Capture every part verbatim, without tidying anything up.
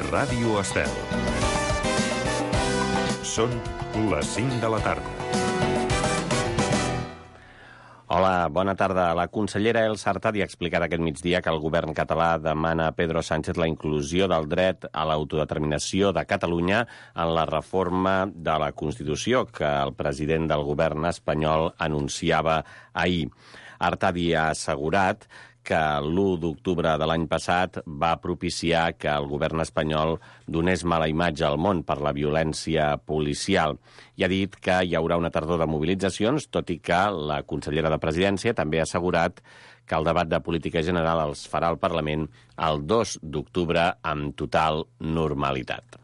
Ràdio Estel. Són les cinc de la tarda. Hola, bona tarda. La consellera Elsa Artadi ha explicat aquest migdia que el govern català demana a Pedro Sánchez la inclusió del dret a l'autodeterminació de Catalunya en la reforma de la Constitució que el president del govern espanyol anunciava ahir. Artadi ha assegurat que l'u d'octubre de l'any passat va propiciar que el govern espanyol donés mala imatge al món per la violència policial. I ha dit que hi haurà una tardor de mobilitzacions, tot i que la consellera de Presidència també ha assegurat que el debat de política general els farà al Parlament el dos d'octubre amb total normalitat.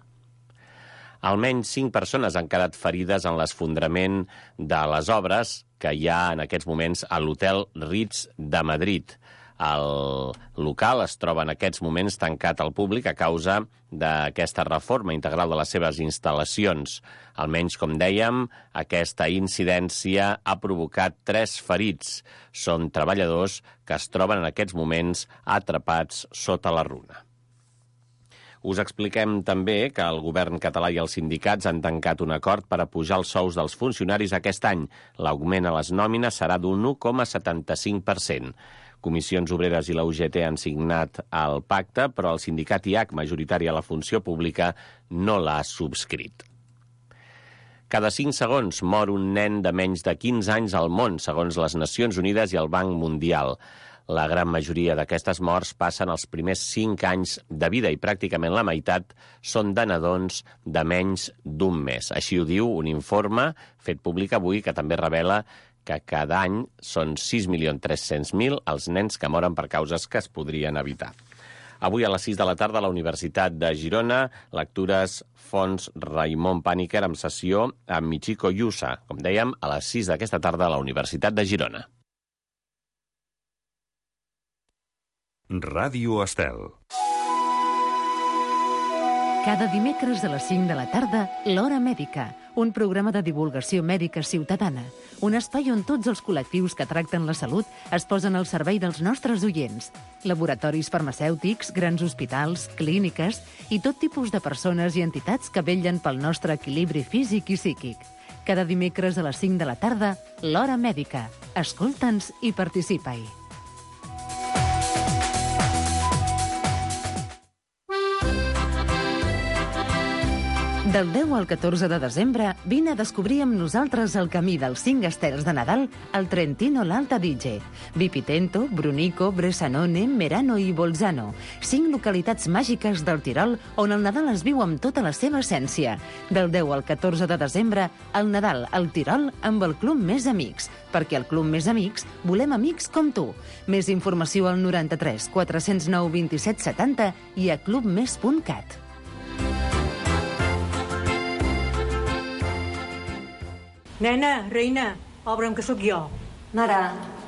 Almenys cinc persones han quedat ferides en l'esfondrament de les obres que hi ha en aquests moments a l'hotel Ritz de Madrid. El local es troba en aquests moments tancat al públic a causa d'aquesta reforma integral de les seves instal·lacions. Almenys, com dèiem, aquesta incidència ha provocat tres ferits. Són treballadors que es troben en aquests moments atrapats sota la runa. Us expliquem també que el govern català i els sindicats han tancat un acord per apujar els sous dels funcionaris aquest any. L'augment a les nòmines serà d'un u coma setanta-cinc per cent. Comissions Obreres i la U G T han signat el pacte, però el sindicat I A C, majoritari a la funció pública, no l'ha subscrit. Cada cinc segons mor un nen de menys de quinze anys al món, segons les Nacions Unides i el Banc Mundial. La gran majoria d'aquestes morts passen els primers cinc anys de vida i pràcticament la meitat són de nadons de menys d'un mes. Així ho diu un informe fet públic avui que també revela que cada any són sis milions tres-cents mil els nens que moren per causes que es podrien evitar. Avui a les sis de la tarda a la Universitat de Girona, lectures Fons Raimon Pàniker amb sessió amb Michiko Yusa, com dèiem, a les sis d'aquesta tarda a la Universitat de Girona. Ràdio Estel. Cada dimecres a les cinc de la tarda, l'Hora Mèdica, un programa de divulgació mèdica ciutadana, un espai on tots els col·lectius que tracten la salut es posen al servei dels nostres oients. Laboratoris farmacèutics, grans hospitals, clíniques i tot tipus de persones i entitats que vetllen pel nostre equilibri físic i psíquic. Cada dimecres a les cinc de la tarda, l'Hora Mèdica. Escolta'ns i participa-hi. Del deu al catorze de desembre, vine a descobrir amb nosaltres el camí dels cinc estels de Nadal al Trentino l'Alta Adige. Vipitento, Brunico, Bressanone, Merano i Bolzano. Cinc localitats màgiques del Tirol on el Nadal es viu amb tota la seva essència. Del deu al catorze de desembre, el Nadal al Tirol amb el Club Més Amics. Perquè al Club Més Amics volem amics com tu. Més informació al noranta-tres quatre-cents nou vint-i-set setanta i a clubmes punt cat. Nena, reina, obre'm que sóc jo. Mare.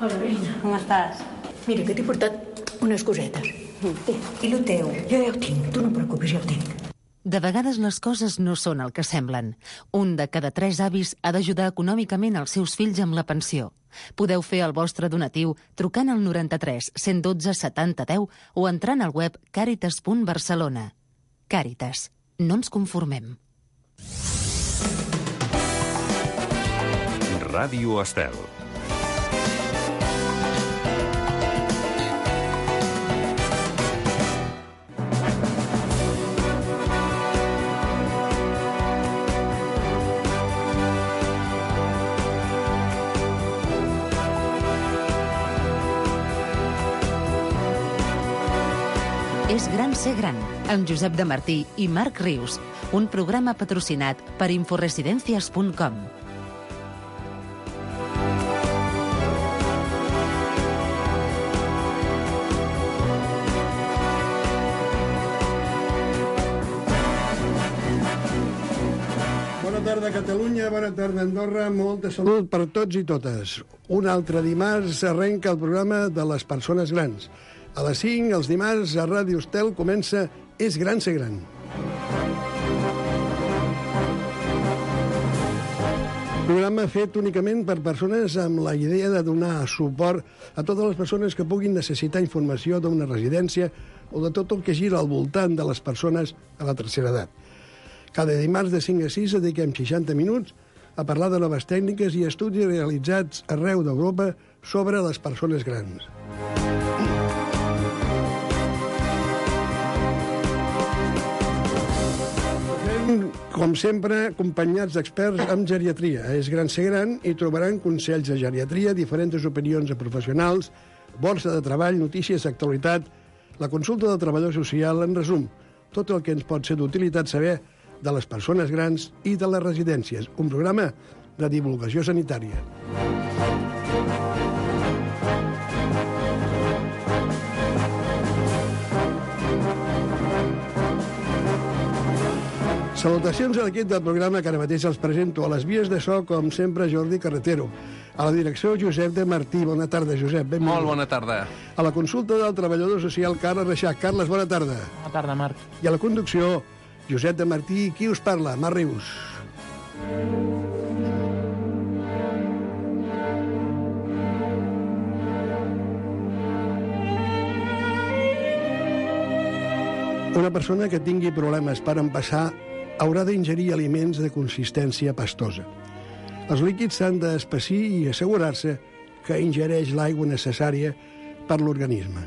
Hola, reina. Com estàs? Mira, que t'he portat unes cosetes. Té, i lo teu? Jo ja ho tinc, tu no et preocupis, ja ho tinc. De vegades les coses no són el que semblen. Un de cada tres avis ha d'ajudar econòmicament els seus fills amb la pensió. Podeu fer el vostre donatiu trucant al noranta-tres cent dotze setanta deu o entrant al web càritas punt barcelona. Càritas. No ens conformem. Ràdio Estel. És gran ser gran, amb Josep de Martí i Marc Rius, un programa patrocinat per inforesidencias punt com. Bona tarda, Catalunya, bona tarda, Andorra, molta salut per tots i totes. Un altre dimarts arrenca el programa de les persones grans. A les cinc, els dimarts, a Ràdio Estel comença És gran ser gran. Programa fet únicament per persones amb la idea de donar suport a totes les persones que puguin necessitar informació d'una residència, o de tot el que gira al voltant de les persones a la tercera edat. Cada dimarts de cinc a sis dediquem seixanta minuts a parlar de noves tècniques i estudis realitzats arreu d'Europa sobre les persones grans. Com sempre, acompanyats d'experts en geriatria. És gran ser gran i trobaran consells de geriatria, diferents opinions de professionals, borsa de treball, notícies d'actualitat, la consulta del treballador social, en resum, tot el que ens pot ser d'utilitat saber de les persones grans i de les residències. Un programa de divulgació sanitària. Salutacions a l'equip del programa que ara mateix els presento. A les vies de so, com sempre, Jordi Carretero. A la direcció, Josep de Martí. Bona tarda, Josep. Benvingut. Molt bona tarda. A la consulta del treballador social, Carles Reixac. Carles, bona tarda. Bona tarda, Marc. I a la conducció, Josep de Martí. Qui us parla? Marc Rius. Una persona que tingui problemes per empassar haurà d'ingerir aliments de consistència pastosa. Els líquids s'han d'espessir i assegurar-se que ingereix l'aigua necessària per l'organisme.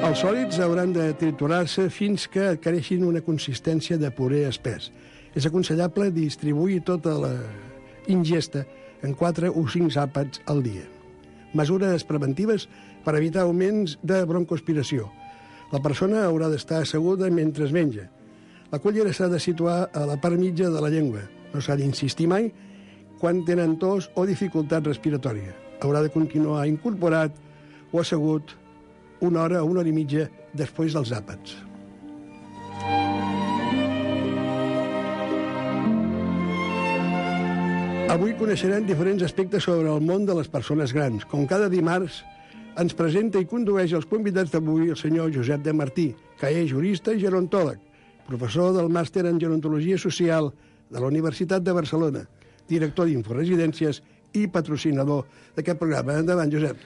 Els sòlids hauran de triturar-se fins que adquireixin una consistència de puré espès. És aconsellable distribuir tota la ingesta en quatre o cinc àpats al dia. Mesures preventives per evitar augments de broncoaspiració. La persona haurà d'estar asseguda mentre es menja. La cullera s'ha de situar a la part mitja de la llengua. No s'ha d'insistir mai quan tenen tos o dificultat respiratòria. Haurà de continuar incorporat o assegut una hora o una hora i mitja després dels àpats. Avui coneixerem diferents aspectes sobre el món de les persones grans. Com cada dimarts, ens presenta i condueix els convidats d'avui el senyor Josep de Martí, que és jurista i gerontòleg, professor del màster en gerontologia social de la Universitat de Barcelona, director d'Inforesidències i patrocinador d'aquest programa. Endavant, Josep.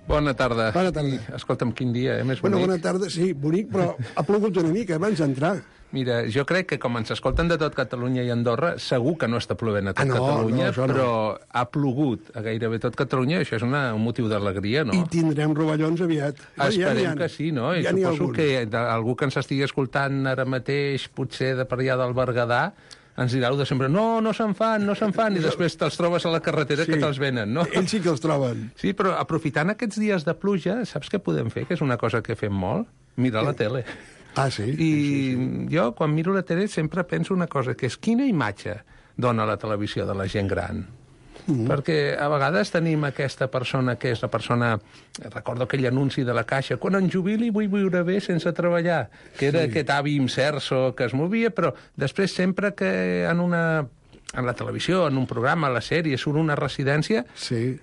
Bona tarda. Bona tarda. I, escolta'm, quin dia, eh? Més bonic. Bueno, bona tarda, sí, bonic, però ha plogut una mica abans d'entrar. Mira, jo crec que com ens escolten de tot Catalunya i Andorra, segur que no està plovent a tot ah, no, Catalunya, no, no. però ha plogut a gairebé tot Catalunya, això és una, un motiu d'alegria, no? I tindrem rovellons aviat. Esperem ja que sí, no? I ja suposo que de, algú que ens estigui escoltant ara mateix, potser de per allà del Berguedà, ens dirà de sempre, no, no se'n fan, no se'n fan, i després te'ls trobes a la carretera sí, que te'ls venen, no? Ells sí que els troben. Sí, però aprofitant aquests dies de pluja, saps què podem fer? Que és una cosa que fem molt? Mirar la tele. Ah, sí? I sí, sí. jo, quan miro la tele, sempre penso una cosa, que és quina imatge dona la televisió de la gent gran. Mm-hmm. Perquè a vegades tenim aquesta persona que és la persona... Recordo aquell anunci de la Caixa, quan em jubili vull viure bé sense treballar, que era sí. aquest avi imserso que es movia, però després sempre que en una... en la televisió, en un programa, a la sèrie, surt una residència, sí.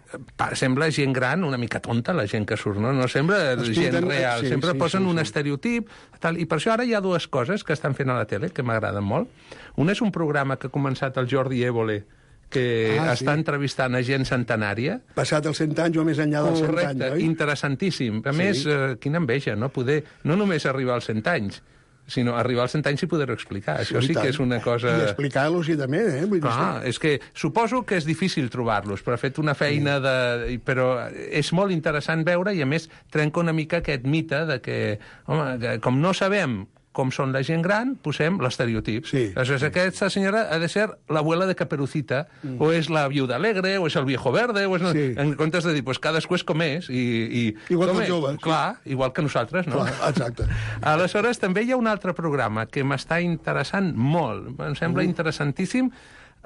sembla gent gran, una mica tonta, la gent que surt, no? No sembla gent real, sí, sempre sí, posen sí, un sí. estereotip, tal, i per això ara hi ha dues coses que estan fent a la tele, que m'agraden molt. Un és un programa que ha començat el Jordi Évole, que ah, està sí. entrevistant a gent centenària. Passat els cent anys o més enllà dels cent anys, oi? Interessantíssim. A sí. més, eh, quina enveja, no? Poder no només arribar als cent anys, sinó arribar als cent anys i poder-ho explicar. Sí, Això sí tant. que és una cosa... I explicar-los i també, eh? Vull dir, Clar, és que suposo que és difícil trobar-los, però ha fet una feina sí. de... Però és molt interessant veure i, a més, trenca una mica aquest mite de que, home, que com no sabem com són la gent gran, posem l'estereotip. Sí. Aleshores, aquesta senyora ha de ser l'abuela de Caperucita, mm. o és la viuda alegre, o és el viejo verde, o és... Sí. En comptes de dir, pues, cadascú és com és, i... i igual com que els joves. Clar, sí. igual que nosaltres, no? Clar, exacte. Aleshores, també hi ha un altre programa que m'està interessant molt, em sembla mm. interessantíssim,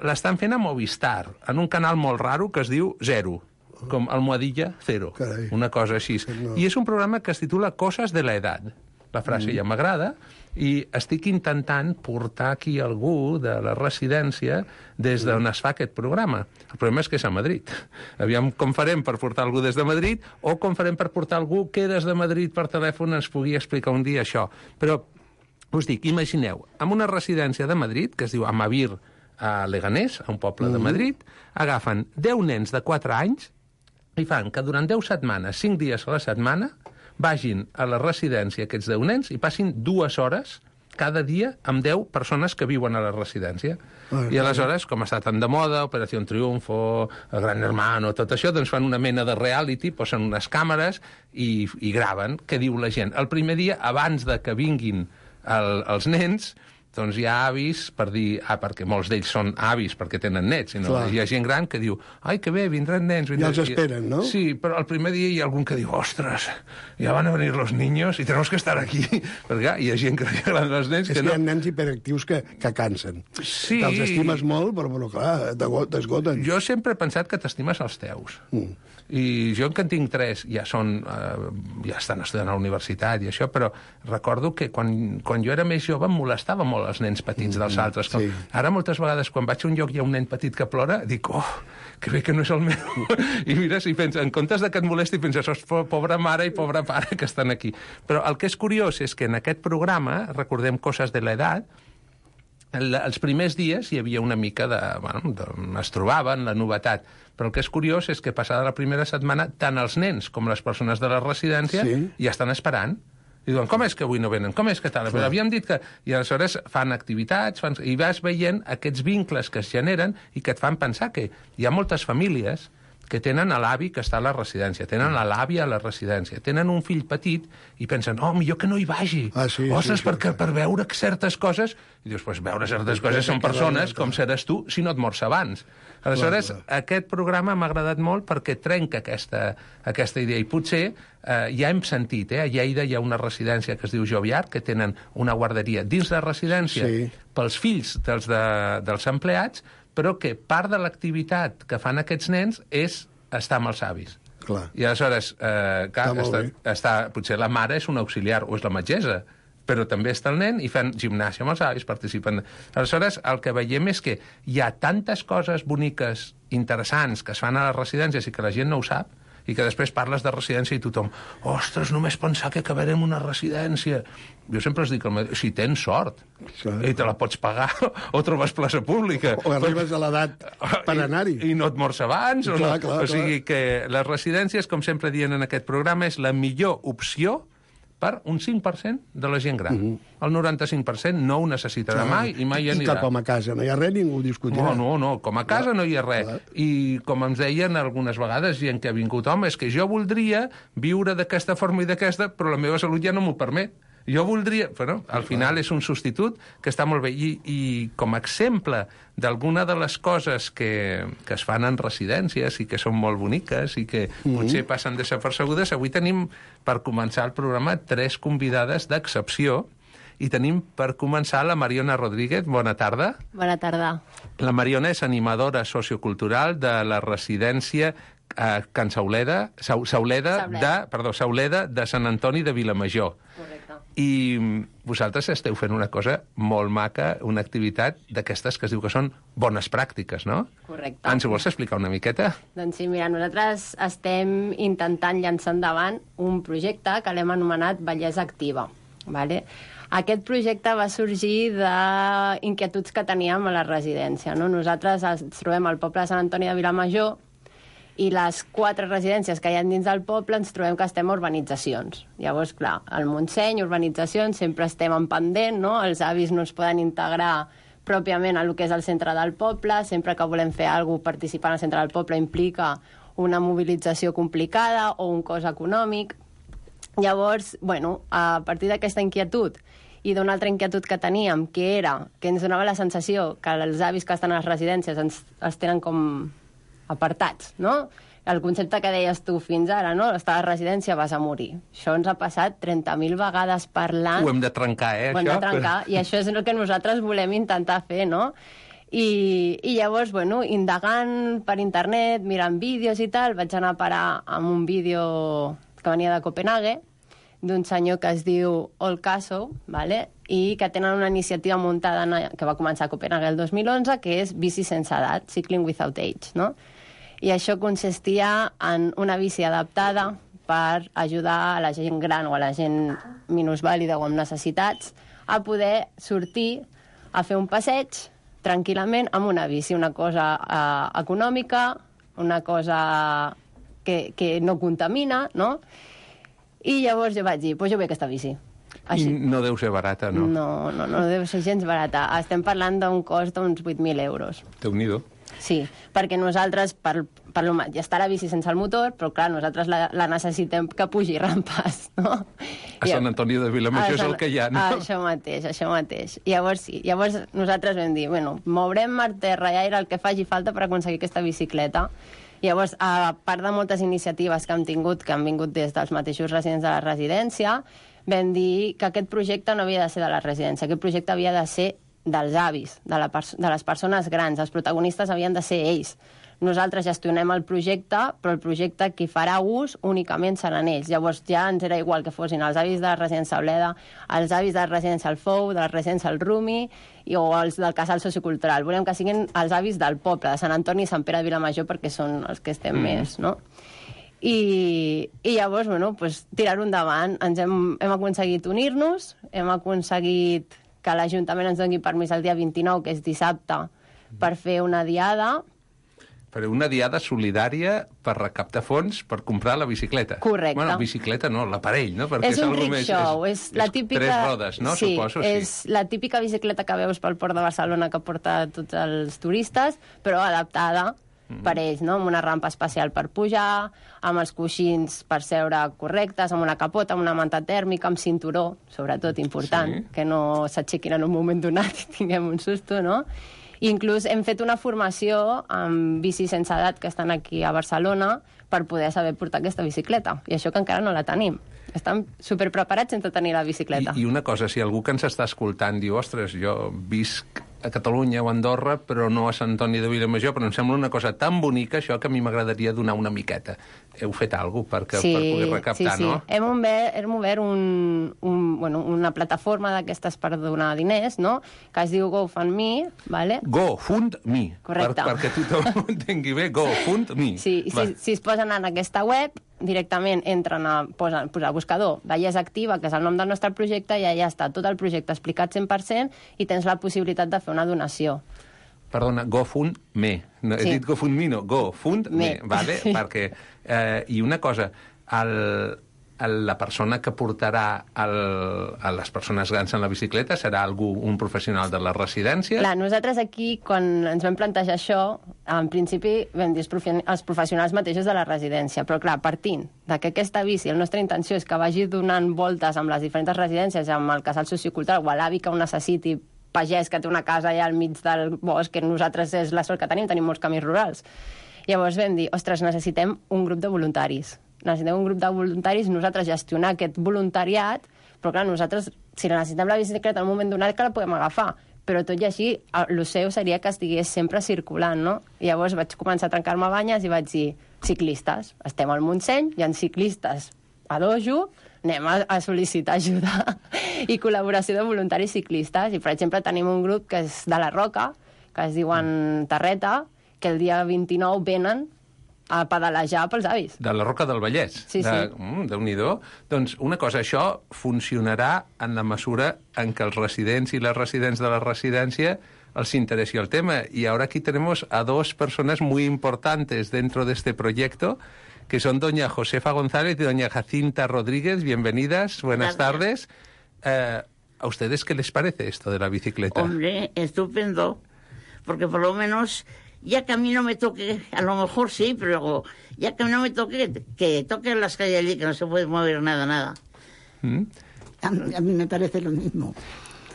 l'estan fent a Movistar, en un canal molt raro que es diu Zero, com Almohadilla Cero, Carai. una cosa així. No. I és un programa que es titula Coses de la Edad. La frase mm. ja m'agrada, i estic intentant portar aquí algú de la residència des d'on es fa aquest programa. El problema és que és a Madrid. Aviam com farem per portar algú des de Madrid, o com farem per portar algú que des de Madrid per telèfon ens pugui explicar un dia això. Però us dic, imagineu, en una residència de Madrid, que es diu Amavir, a Leganés, a un poble mm. de Madrid, agafen deu nens de quatre anys, i fan que durant deu setmanes, cinc dies a la setmana, vagin a la residència aquests deu nens i passin dues hores cada dia amb deu persones que viuen a la residència. Ah, I aleshores, com està tan de moda, Operació Triunfo, el Gran Hermano, tot això, doncs fan una mena de reality, posen unes càmeres i, i graven què diu la gent. El primer dia, abans de que vinguin el, els nens, doncs hi ha avis per dir, ah, perquè molts d'ells són avis perquè tenen nets, sinó hi ha gent gran que diu, ai, que bé, vindran nens. Vindran... Ja els esperen, no? Sí, però el primer dia hi ha algun que diu, ostres, ja van a venir los niños i tenemos que estar aquí. Perquè hi ha gent que li agraden els nens és que no. no. Hi ha nens hiperactius que, que cansen. Sí. Que els estimes molt, però, però clar, t'esgoten. Jo sempre he pensat que t'estimes els teus. Mm. I jo, que en tinc tres, ja són, eh, ja estan estudiant a la universitat i això, però recordo que quan, quan jo era més jove em molestava molt els nens petits dels altres. Sí. Ara moltes vegades quan vaig a un lloc i hi ha un nen petit que plora, dic, oh, que bé que no és el meu. I mires i penses, en comptes de que et molesti, penses, oh, pobra mare i pobra pare que estan aquí. Però el que és curiós és que en aquest programa, recordem Coses de l'edat, els primers dies hi havia una mica de... Bueno, de, es trobaven, la novetat. Però el que és curiós és que passada la primera setmana, tant els nens com les persones de la residència sí. ja estan esperant. I diuen, com és que avui no venen? Com és que tal? Però havíem dit que... I aleshores fan activitats, fan... i vas veient aquests vincles que es generen i que et fan pensar que hi ha moltes famílies que tenen l'avi que està a la residència, tenen l'àvia a la residència, tenen un fill petit i pensen, oh, millor que no hi vagi. Ah, sí, Ostres, sí, sí, perquè sí. per veure certes coses... I dius, pues veure certes coses són persones, com seràs tu si no et mors abans. Aleshores, clar, clar. Aquest programa m'ha agradat molt perquè trenca aquesta, aquesta idea. I potser eh, ja hem sentit, eh, a Lleida hi ha una residència que es diu Joviart, que tenen una guarderia dins la residència sí. pels fills dels, de, dels empleats, però que part de l'activitat que fan aquests nens és estar amb els avis. Clar. I aleshores, eh, clar, està, està, potser la mare és un auxiliar o és la metgessa, però també està el nen i fan gimnàsia amb els avis, participen. Aleshores, el que veiem és que hi ha tantes coses boniques, interessants, que es fan a les residències i que la gent no ho sap, i que després parles de residència i tothom, ostres, només pensar que acabarem una residència. Jo sempre els dic, si tens sort, sí. i te la pots pagar, o trobes plaça pública. O arribes a l'edat per anar-hi. I, I no et mors abans. Clar, o, no? clar, o sigui clar. que les residències, com sempre dient en aquest programa, és la millor opció per un cinc per cent de la gent gran. Mm-hmm. El noranta-cinc per cent no ho necessitarà clar. mai i mai I anirà. I que com a casa no hi ha res, ningú ho discutirà. No, no, no, com a casa clar. no hi ha res. Clar. I com ens deien algunes vegades, gent que ha vingut, home, és que jo voldria viure d'aquesta forma i d'aquesta, però la meva salut ja no m'ho permet. Jo voldria... Bueno, al final és un substitut que està molt bé. I, i com a exemple d'alguna de les coses que, que es fan en residències i que són molt boniques i que mm-hmm. potser passen desapercebudes, avui tenim, per començar el programa, tres convidades d'excepció. I tenim, per començar, la Mariona Rodríguez. Bona tarda. Bona tarda. La Mariona és animadora sociocultural de la residència eh, Can Sauleda, Sa Sauleda, Sauleda. De, perdó, Sauleda de Sant Antoni de Vilamajor. Correcte. I vosaltres esteu fent una cosa molt maca, una activitat d'aquestes que es diu que són bones pràctiques, no? Correcte. Ens ho vols explicar una miqueta? Doncs sí, mira, nosaltres estem intentant llançar endavant un projecte que l'hem anomenat Bellesa Activa, vale? Aquest projecte va sorgir d'inquietuds que teníem a la residència, no? Nosaltres ens trobem al poble de Sant Antoni de Vilamajor i les quatre residències que hi ha dins del poble ens trobem que estem a urbanitzacions. Llavors, clar, al Montseny, urbanitzacions, sempre estem en pendent, no? Els avis no es poden integrar pròpiament a lo que és el centre del poble, sempre que volem fer alguna cosa participant al centre del poble implica una mobilització complicada o un cost econòmic. Llavors, bueno, a partir d'aquesta inquietud i d'una altra inquietud que teníem, que era que ens donava la sensació que els avis que estan a les residències ens, els tenen com apartats, no? El concepte que deies tu fins ara, no? Estar a la residència vas a morir. Això ens ha passat trenta mil vegades parlant. Ho hem de trencar, eh, Ho hem això? de trencar, i això és el que nosaltres volem intentar fer, no? I, i llavors, bueno, indagant per internet, mirant vídeos i tal, vaig anar a parar amb un vídeo que venia de Copenhague, d'un senyor que es diu Olcaso, vale? I que tenen una iniciativa muntada que va començar a Copenhague el dos mil onze, que és Bici sense edat, Cycling Without Age, no? I això consistia en una bici adaptada per ajudar a la gent gran o a la gent minusvàlida o amb necessitats a poder sortir a fer un passeig tranquil·lament amb una bici, una cosa eh, econòmica, una cosa que, que no contamina, no? I llavors jo vaig dir, doncs jo vull aquesta bici. Així. I no deu ser barata, no? No, no, no deu ser gens barata. Estem parlant d'un cost d'uns vuit mil euros. Déu-n'hi-do. Sí, perquè nosaltres, per, per lo, ja està la bici sense el motor, però clar, nosaltres la, la necessitem que pugi rampes, no? A Sant Antoni de Vilamajor és el que hi ha, no? Això mateix, això mateix. Llavors sí, llavors nosaltres vam dir, bueno, mourem mar, terra i aire el que faci falta per aconseguir aquesta bicicleta. Llavors, a part de moltes iniciatives que hem tingut, que han vingut des dels mateixos residents de la residència, vam dir que aquest projecte no havia de ser de la residència, aquest projecte havia de ser dels avis, de, la de les persones grans. Els protagonistes havien de ser ells. Nosaltres gestionem el projecte, però el projecte qui farà ús únicament seran ells. Llavors ja ens era igual que fossin els avis de la residència Oleda, els avis de la residència El Fou, de la residència El Rumi i, o els del casal sociocultural. Volem que siguin els avis del poble, de Sant Antoni i Sant Pere de Vilamajor, perquè són els que estem mm. més, no? I, i llavors, bueno, pues, tirar-ho endavant. Ens hem, hem aconseguit unir-nos, hem aconseguit que l'Ajuntament ens doni permís el dia vint-i-nou, que és dissabte, per fer una diada. Per una diada solidària per recaptar fons per comprar la bicicleta. Correcte. Bueno, bicicleta no, l'aparell, no? Perquè és un rickshaw, és, és la típica... Tres rodes, no? Sí, Suposo, és sí. la típica bicicleta que veus pel Port de Barcelona que porta tots els turistes, però adaptada mm. per ells, no? Amb una rampa especial per pujar, amb els coixins per seure correctes, amb una capota, amb una manta tèrmica, amb cinturó, sobretot important, sí. que no s'aixequin en un moment donat i tinguem un susto, no? Inclús hem fet una formació amb bicis sense edat que estan aquí a Barcelona per poder saber portar aquesta bicicleta. I això que encara no la tenim. Estan superpreparats sense tenir la bicicleta. I, I una cosa, si algú que ens està escoltant diu, ostres, jo visc a Catalunya o a Andorra, però no a Sant Antoni de Vilamajor, però em sembla una cosa tan bonica, això, que a mi m'agradaria donar una miqueta. Heu fet alguna cosa per, sí, per poder recaptar, sí, sí. no? Hem obert, hem obert un, un, bueno, una plataforma d'aquestes per donar diners, no?, que es diu GoFundMe, ¿vale? GoFundMe. Correcte. Per, perquè tothom ho entengui bé, GoFundMe. Sí, i si, si es posen en aquesta web, directament entren a posar, posar buscador Bellesa Activa, que és el nom del nostre projecte, i allà està tot el projecte explicat cent per cent i tens la possibilitat de fer una donació. Perdona, GoFundMe. No, sí. He dit GoFundMe, no, GoFundMe, vale? Sí. Perquè, eh, i una cosa, el, el, la persona que portarà el, a les persones grans en la bicicleta serà algú, un professional de la residència? Clar, nosaltres aquí, quan ens vam plantejar això, en principi vam dir els professionals mateixos de la residència, però clar, partint de que aquesta bici, la nostra intenció és que vagi donant voltes amb les diferents residències, amb el casal sociocultural o l'avi que ho necessiti, pagès que té una casa allà al mig del bosc, que nosaltres és la sort que tenim, tenim molts camins rurals. Llavors vam dir, ostres, necessitem un grup de voluntaris. Necessitem un grup de voluntaris, nosaltres gestionar aquest voluntariat, però clar, nosaltres, si necessitem la bicicleta en un moment donat, que la podem agafar. Però tot i així, el seu seria que estigués sempre circulant, no? I llavors vaig començar a trencar-me banyes i vaig dir, ciclistes, estem al Montseny, hi ha ciclistes a dojo, anem a, a sol·licitar ajuda i col·laboració de voluntaris ciclistes. I, per exemple, tenim un grup que és de la Roca, que es diuen Tarreta, que el dia vint-i-nou venen a pedalejar pels avis. De la Roca del Vallès? Sí, de, sí. Mm, Déu-n'hi-do. Doncs una cosa, això funcionarà en la mesura en què els residents i les residents de la residència els interessi el tema. Y ahora aquí tenemos a dos personas muy importantes dentro de este proyecto, que son doña Josefa González y doña Jacinta Rodríguez. Bienvenidas, buenas tardes. Eh, ¿A ustedes qué les parece esto de la bicicleta? Hombre, estupendo, porque por lo menos, ya que a mí no me toque, a lo mejor sí, pero ya que no me toque, que toquen las calles allí, que no se puede mover nada, nada. ¿Mm? A, a mí me parece lo mismo.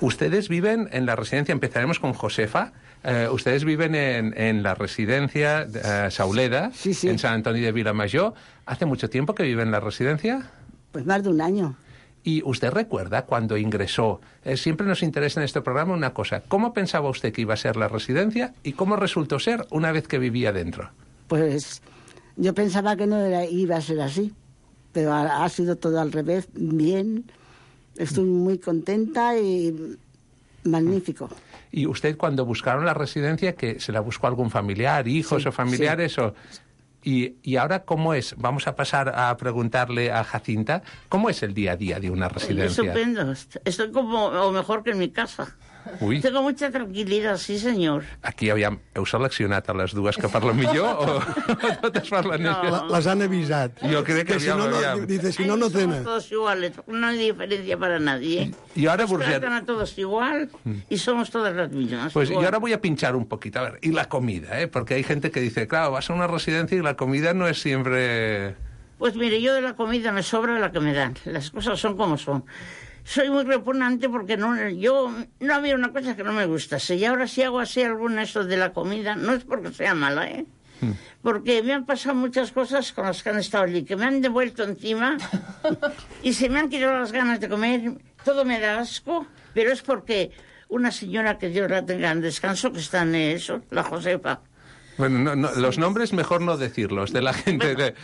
Ustedes viven en la residencia, empezaremos con Josefa. Eh, ustedes viven en, en la residencia eh, Sauleda, sí, sí. en San Antonio de Vilamajor. ¿Hace mucho tiempo que vive en la residencia? Pues más de un año. ¿Y usted recuerda cuando ingresó? Eh, siempre nos interesa en este programa una cosa. ¿Cómo pensaba usted que iba a ser la residencia y cómo resultó ser una vez que vivía dentro? Pues yo pensaba que no era, iba a ser así, pero ha, ha sido todo al revés, bien. Estoy muy contenta y magnífico. ¿Y usted cuando buscaron la residencia, que se la buscó algún familiar, hijos sí, o familiares? Sí. O... Y, ¿Y ahora cómo es? Vamos a pasar a preguntarle a Jacinta, ¿cómo es el día a día de una residencia? Estupendo. Estoy como, o mejor que en mi casa. Ui. Tengo mucha tranquilidad, sí, señor. Aquí aviam, heu seleccionat a les dues que parlen millor o, o totes parlen No. igual? La- Les han avisat. Jo crec que si aviam, no, no, aviam. dice, si no, no Somos tenen. todos iguales, no hay diferencia para nadie. Y ahora, Nos Burget- tratan a todos igual y somos todas las mismas. Pues yo igual. ahora voy a pinchar un poquito. A ver, y la comida, ¿eh? Porque hay gente que dice, claro, vas a una residencia y la comida no es siempre... Pues mire, yo de la comida me sobra la que me dan. Las cosas son como son. Soy muy repugnante porque no, yo no había una cosa que no me gustase. Y ahora si hago así alguna eso de la comida, no es porque sea mala, ¿eh? Mm. Porque me han pasado muchas cosas con las que han estado allí, que me han devuelto encima y se me han quitado las ganas de comer. Todo me da asco, pero es porque una señora, que Dios la tenga en descanso, que está en eso, la Josefa, Bueno, no, no, los nombres mejor no decirlos, de la gente... Bueno. de-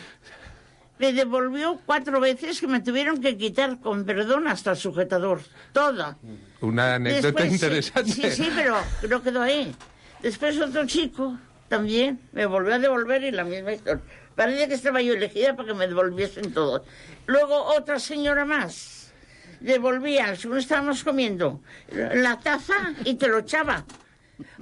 me devolvió cuatro veces que me tuvieron que quitar, con perdón, hasta el sujetador. Toda. Una anécdota Después, interesante. Sí, sí, pero no quedó ahí. Después otro chico también me volvió a devolver y la misma historia. Parece que estaba yo elegida para que me devolviesen todo. Luego otra señora más devolvía, según estábamos comiendo, la taza y te lo echaba.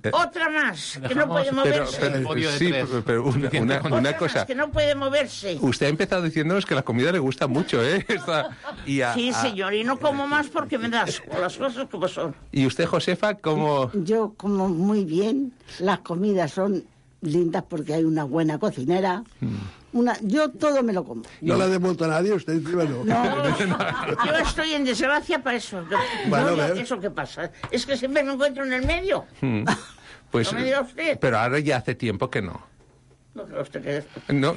Eh. Otra más, que no puede Pero, moverse. pero- Podio de sí, tres. pero- pero una, una- Otra una más, cosa. que no puede moverse. Usted ha empezado diciéndonos que la comida le gusta mucho, ¿eh? Esta- y, a- Sí, a- señor, y no como más porque me da asco, las cosas como son. y usted, Josefa, ¿cómo...? Yo como muy bien, las comidas son lindas porque hay una buena cocinera. Una, yo todo me lo como. No la ha devuelto a nadie, usted encima no. Yo estoy en desgracia para eso. que- Bueno, no, a ver. eso que pasa. Es que siempre me encuentro en el medio. Mm, Pues, No me diga usted. pero ahora ya hace tiempo que no. No creu usted que... No.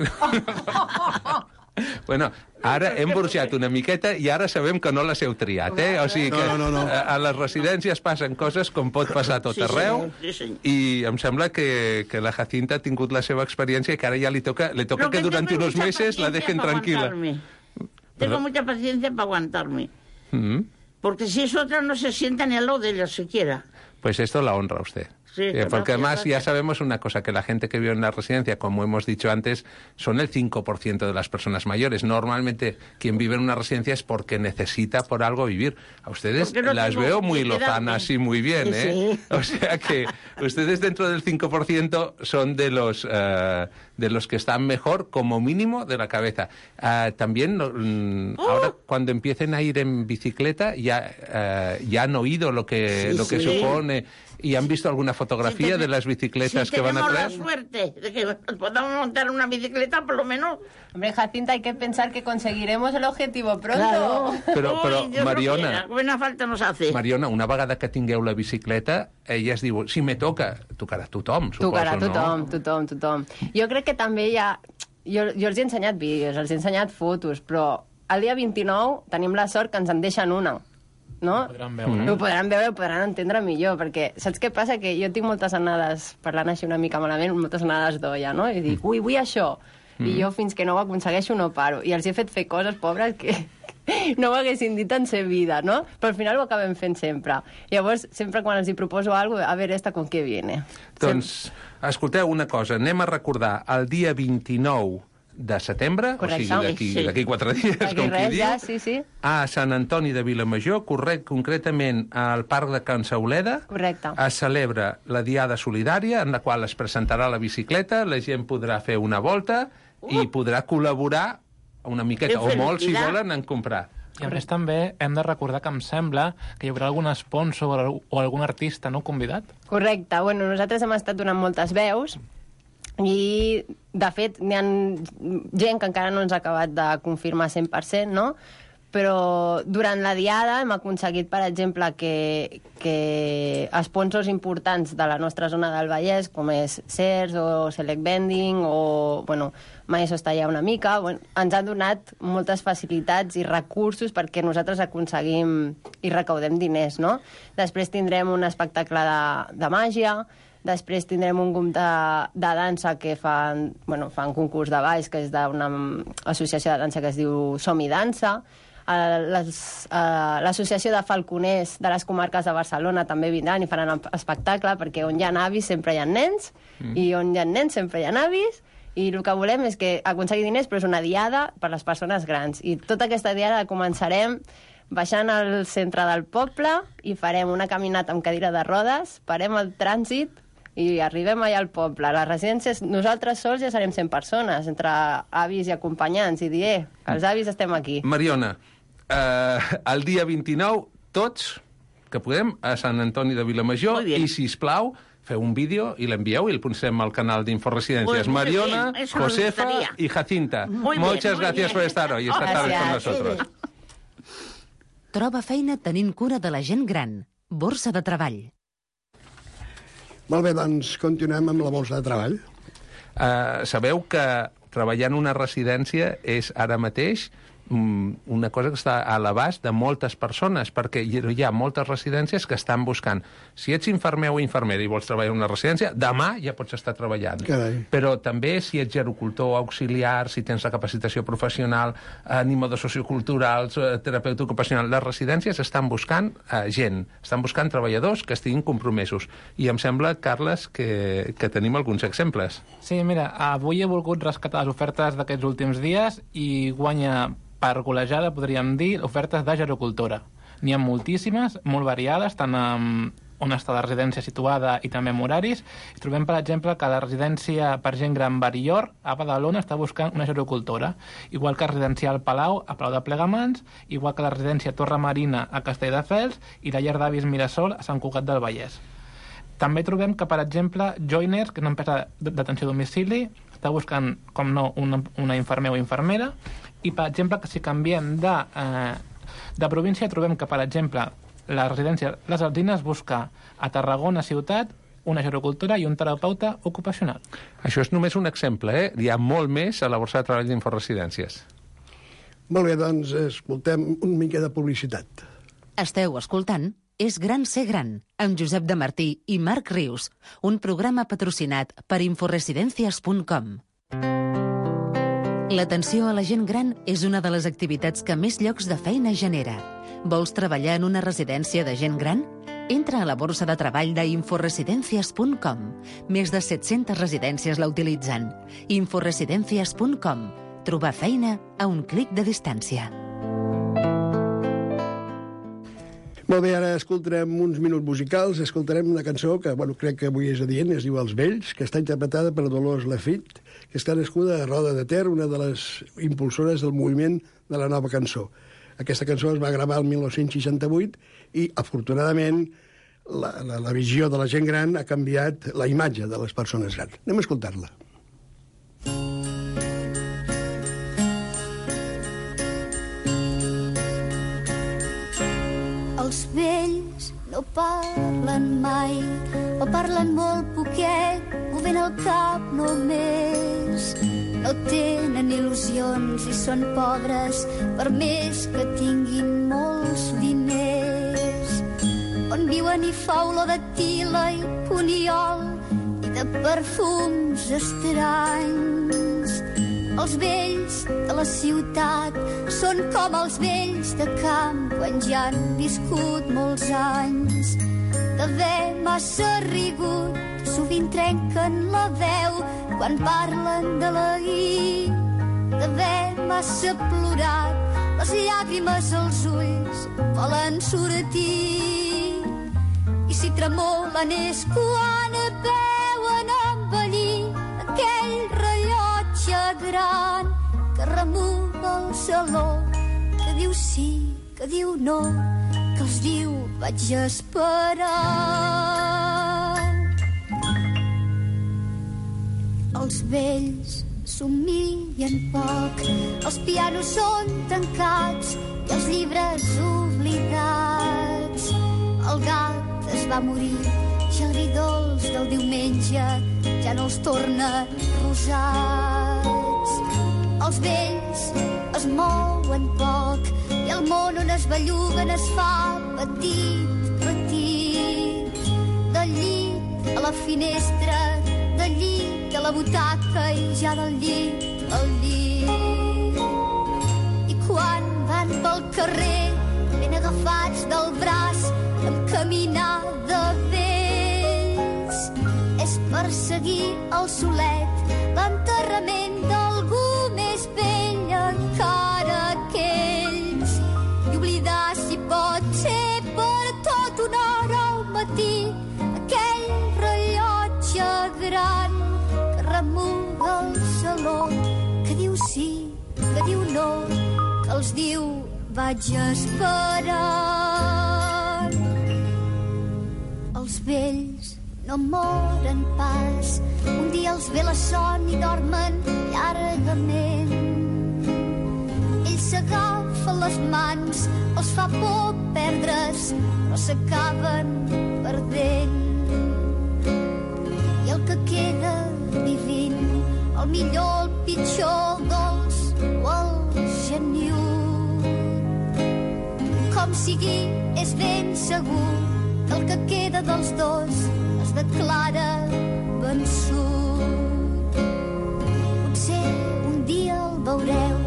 Bueno, ara hem burxat una miqueta i ara sabem que no les heu triat, eh? O sigui que No, no, no, no. a a les residències passen coses com pot passar a tot Sí, arreu, senyor, sí, senyor. i em sembla que, que la Jacinta ha tingut la seva experiència i que ara ja li toca, le toca Lo que durant tengo unos mucha meses la paciencia dejen para tranquila. aguantarme. Tengo mucha paciencia para aguantarme. Mm. Porque si es otra no se sienta ni al lado de ella siquiera. Pues esto la honra a usted. Sí, Eh, gracias, porque además ya gracias. sabemos una cosa, que la gente que vive en la residencia, como hemos dicho antes, son el cinco por ciento de las personas mayores. Normalmente quien vive en una residencia es porque necesita por algo vivir. A ustedes Porque no las tengo veo muy que quedarme. lozanas y muy bien, Sí, ¿eh? sí. O sea que ustedes dentro del cinco por ciento son de los, eh, de los que están mejor, como mínimo, de la cabeza. Ah, también, no, mm, ahora cuando empiecen a ir en bicicleta, ya, eh, ya han oído lo que, Sí, lo que sí. supone y han visto alguna fotografía Si ten- de las bicicletas si que van a tenemos traer. la suerte de que nos podamos montar una bicicleta, por lo menos. Hombre, Jacinta, hay que pensar que conseguiremos el objetivo pronto. Claro. Però, Uy, però Dios lo Mariona, quiera, buena falta nos hace. Mariona, una vegada que tingueu la bicicleta, ella es diu, si me toca, tocarà tothom, suposo, Tocarà no? tothom, tothom, tothom. Jo crec que també hi ha... Jo, jo els he ensenyat vídeos, els he ensenyat fotos, però el dia vint-i-nou tenim la sort que ens en deixen una. No? Ho podran veure. Mm. Ho podran veure, ho podran entendre millor, perquè saps què passa? Que jo tinc moltes anades, parlant així una mica malament, moltes anades d'olla, no? I dic, ui, vull això. I jo fins que no ho aconsegueixo no paro. I els he fet fer coses, pobres, que no ho haguessin dit en sa vida, no? Però al final ho acabem fent sempre. Llavors, sempre quan els hi proposo alguna cosa, a veure, esta con què viene. Doncs, escolteu una cosa, anem a recordar el dia vint-i-nou de setembre, Correcte. o sigui, d'aquí Sí. d'aquí quatre dies, Aquí com qui res, diu, ja, sí, sí. a Sant Antoni de Vilamajor, correcte, concretament al Parc de Can Sauleda. Correcte. Es celebra la Diada Solidària, en la qual es presentarà la bicicleta, la gent podrà fer una volta i podrà col·laborar una miqueta, Que o molt, si felicitat. volen, en comprar. I a més també hem de recordar que em sembla que hi haurà algun sponsor o o algun artista no convidat. Correcte. Bueno, nosaltres hem estat donant moltes veus i, de fet, n'hi ha gent que encara no ens ha acabat de confirmar cent per cent, no? Però durant la diada hem aconseguit, per exemple, que, que sponsors importants de la nostra zona del Vallès, com és Sears o Select Vending o, bueno, Maeso està allà una mica, bueno, ens han donat moltes facilitats i recursos perquè nosaltres aconseguim i recaudem diners, no? Després tindrem un espectacle de, de màgia, després tindrem un grup de, de dansa que fan, bueno, fan concurs de balls, que és d'una associació de dansa que es diu Som i Dansa. Eh, les- eh, L'associació de falconers de les comarques de Barcelona també vindran i faran espectacle, perquè on hi ha avis sempre hi ha nens, mm. i on hi ha nens sempre hi ha avis, i el que volem és que aconseguir diners, però és una diada per a les persones grans. I tota aquesta diada la començarem baixant al centre del poble i farem una caminata amb cadira de rodes, parem el trànsit i arribem allà al poble. Les residències, nosaltres sols ja serem cent persones, entre avis i acompanyants, i dir, eh, els avis estem aquí. Mariona, eh, el dia vint-i-nou, tots, que podem, a Sant Antoni de Vilamajor, i, sisplau, feu un vídeo i l'envieu i el posem al canal d'Inforesidències. Muy Mariona, bien, eso Josefa me gustaría. y Jacinta. Muy Muchas bien, muy gracias bien. por estar hoy esta tarde con Gracias. nosotros. Troba feina tenint cura de la gent gran. Borsa de treball. Molt bé, doncs continuem amb la borsa de treball. Uh, sabeu que treballar en una residència és ara mateix una cosa que està a l'abast de moltes persones, perquè hi ha moltes residències que estan buscant. Si ets infermer o infermera i vols treballar en una residència, demà ja pots estar treballant. Carai. Però també si ets gerocultor, auxiliar, si tens la capacitació professional, animadors socioculturals, terapeuta ocupacional, les residències estan buscant eh, gent, estan buscant treballadors que estiguin compromesos. I em sembla, Carles, que, que tenim alguns exemples. Sí, mira, avui he volgut rescatar les ofertes d'aquests últims dies i guanya per golejada, podríem dir, ofertes de gerocultora. N'hi ha moltíssimes, molt variades, tant amb on està la residència situada i també amb horaris. I trobem, per exemple, que la residència per gent gran Barillor, a Badalona, està buscant una gerocultora, igual que la residencial Palau, a Palau de Plegamans, igual que la residència Torre Marina, a Castelldefels, i la llar d'avis Mirasol, a Sant Cugat del Vallès. També trobem que, per exemple, Joiners, que és una empresa d'atenció a domicili, està buscant, com no, una, una infermer o infermera, i, per exemple, que si canviem de, eh, de província, trobem que, per exemple, la residència Les Alzines busca a Tarragona ciutat una gerocultora i un terapeuta ocupacional. Això és només un exemple, eh? Hi ha molt més a la borsa de treball d'Inforesidències. Molt bé, doncs escoltem una mica de publicitat. Esteu escoltant És gran ser gran, amb Josep de Martí i Marc Rius, un programa patrocinat per Inforesidències punt com. L'atenció a la gent gran és una de les activitats que més llocs de feina genera. Vols treballar en una residència de gent gran? Entra a la borsa de treball d'Inforesidències punt com. Més de set-centes residències la utilitzen. Inforesidències punt com. Trobar feina a un clic de distància. Molt bé, ara escoltarem uns minuts musicals, escoltarem una cançó que, bueno, crec que avui és adient, es diu Els Vells, que està interpretada per Dolors Lafitte, que està nascuda a Roda de Ter, una de les impulsores del moviment de la nova cançó. Aquesta cançó es va gravar el mil nou-cents seixanta-vuit i, afortunadament, la, la, la visió de la gent gran ha canviat la imatge de les persones grans. Anem a escoltar-la. Els vells no parlen mai, o parlen molt poquet, movent el cap només. No tenen il·lusions i són pobres, per més que tinguin molts diners. On viuen hi fa olor de tila i puniol i de perfums estranys. Els vells de la ciutat són com els vells de camp quan ja han viscut molts anys. D'haver massa rigut, sovint trenquen la veu quan parlen de l'ahir. D'haver massa plorat, les llàgrimes als ulls volen sortir. I si tremolen és quan veuen envellir aquell rellotge gran que remuga el saló, que diu sí, que diu no, que els diu vaig esperar. Els vells somien poc, els pianos són tancats i els llibres oblidats. El gat es va morir i el vi dolç del diumenge ja no els torna rosats. Els vells es mouen poc i el món on es belluguen es fa petit, petit. Del llit a la finestra, del llit a la butaca i ja del llit al llit. I quan van pel carrer ben agafats del braç amb caminar de vells, és per seguir el solet, l'enterrament d'algú més vell encara que ells, i oblidar olor que els diu vaig esperar. Els vells no moren pas, un dia els ve la son i dormen llargament. Ells s'agafen les mans, els fa por perdre's, però s'acaben perdent. I el que queda vivint, el millor, el pitjor, el dolç o el geniut. Com sigui, és ben segur que el que queda dels dos es declara vençut. Potser un dia el veureu,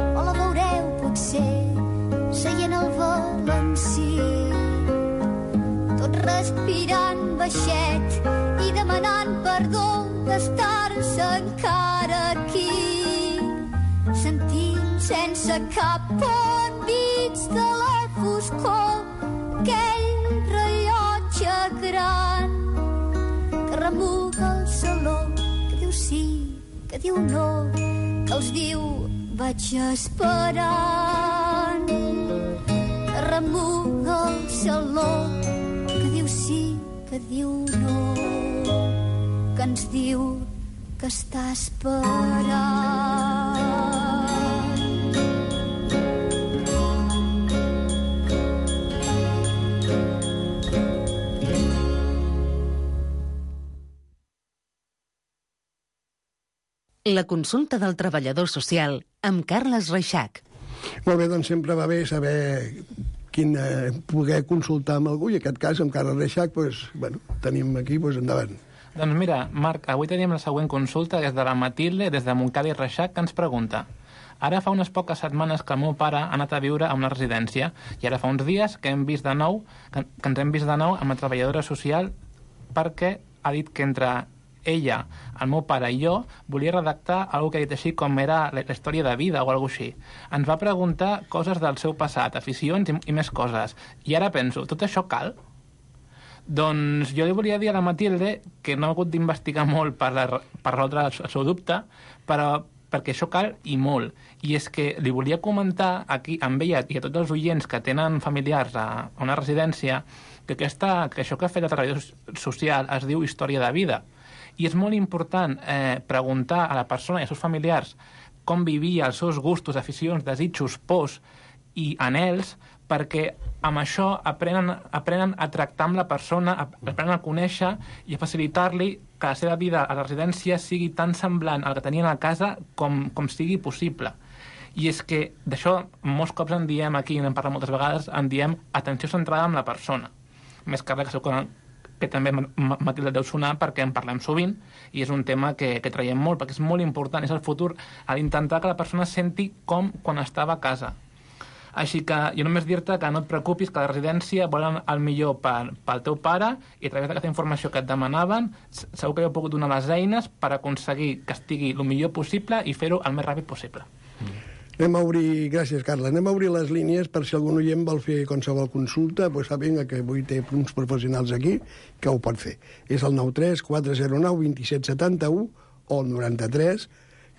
o la veureu potser seient al Valencí, tot respirant baixet i demanant perdó d'estar-se encara aquí, sentint sense cap envits de la foscor aquell rellotge gran que remuga el saló, que diu sí, que diu no, que els diu vaig esperant. Que remuga el saló, que diu sí, que diu no, que ens diu que està esperant. La consulta del treballador social amb Carles Reixac. Molt bé, doncs sempre va bé saber quin, eh, poder consultar amb algú, i en aquest cas, amb Carles Reixac, doncs, bueno, tenim aquí, doncs, endavant. Doncs mira, Marc, avui tenim la següent consulta, que és de la Matilde, des de Montcada i Reixac, que ens pregunta: ara fa unes poques setmanes que el meu pare ha anat a viure a una residència, i ara fa uns dies que hem vist de nou, que, que ens hem vist de nou amb la treballadora social, perquè ha dit que entre ella, el meu pare i jo volia redactar alguna que ha dit així com era la, la història de vida o alguna així. Ens va preguntar coses del seu passat, aficions i, i més coses. I ara penso, tot això cal? Doncs jo li volia dir a la Matilde que no ha hagut d'investigar molt per, la, per resoldre el seu dubte, però perquè això cal i molt. I és que li volia comentar aquí amb ella i a tots els oients que tenen familiars a, a una residència que, aquesta, que això que ha fet el treballador social es diu història de vida. I és molt important eh, preguntar a la persona i als seus familiars com vivia, els seus gustos, aficions, desitjos, pors i anhels, perquè amb això aprenen, aprenen a tractar amb la persona, aprenen a conèixer i a facilitar-li que la seva vida a la residència sigui tan semblant al que tenien a casa com, com sigui possible. I és que d'això molts cops en diem aquí, n'hem parlat moltes vegades, en diem atenció centrada en la persona. Més que res que segur que que també Matilde deu sonar perquè en parlem sovint i és un tema que, que traiem molt, perquè és molt important, és el futur, a intentar que la persona senti com quan estava a casa. Així que jo només dir-te que no et preocupis, que la residència volen el millor per, pel teu pare i a través d'aquesta informació que et demanaven segur que heu pogut donar les eines per aconseguir que estigui el millor possible i fer-ho el més ràpid possible. Mm. Anem a obrir, gràcies Carla, anem a obrir les línies per si algun oient vol fer qualsevol consulta, doncs sàpiga que avui té uns professionals aquí que ho pot fer. És el nou tres quatre zero nou dos set set u o el noranta-tres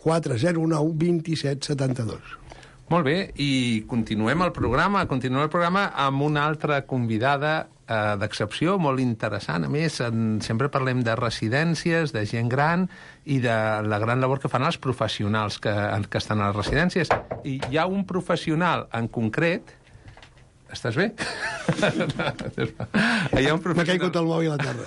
quatre zero nou dos set set dos. Molt bé, i continuem el programa, continuem el programa amb una altra convidada eh, d'excepció, molt interessant. A més, en, sempre parlem de residències, de gent gran i de la gran labor que fan els professionals que, que estan a les residències. I hi ha un professional en concret... Estàs bé? Hi ha un professional... M'ha caigut el mòbil a terra.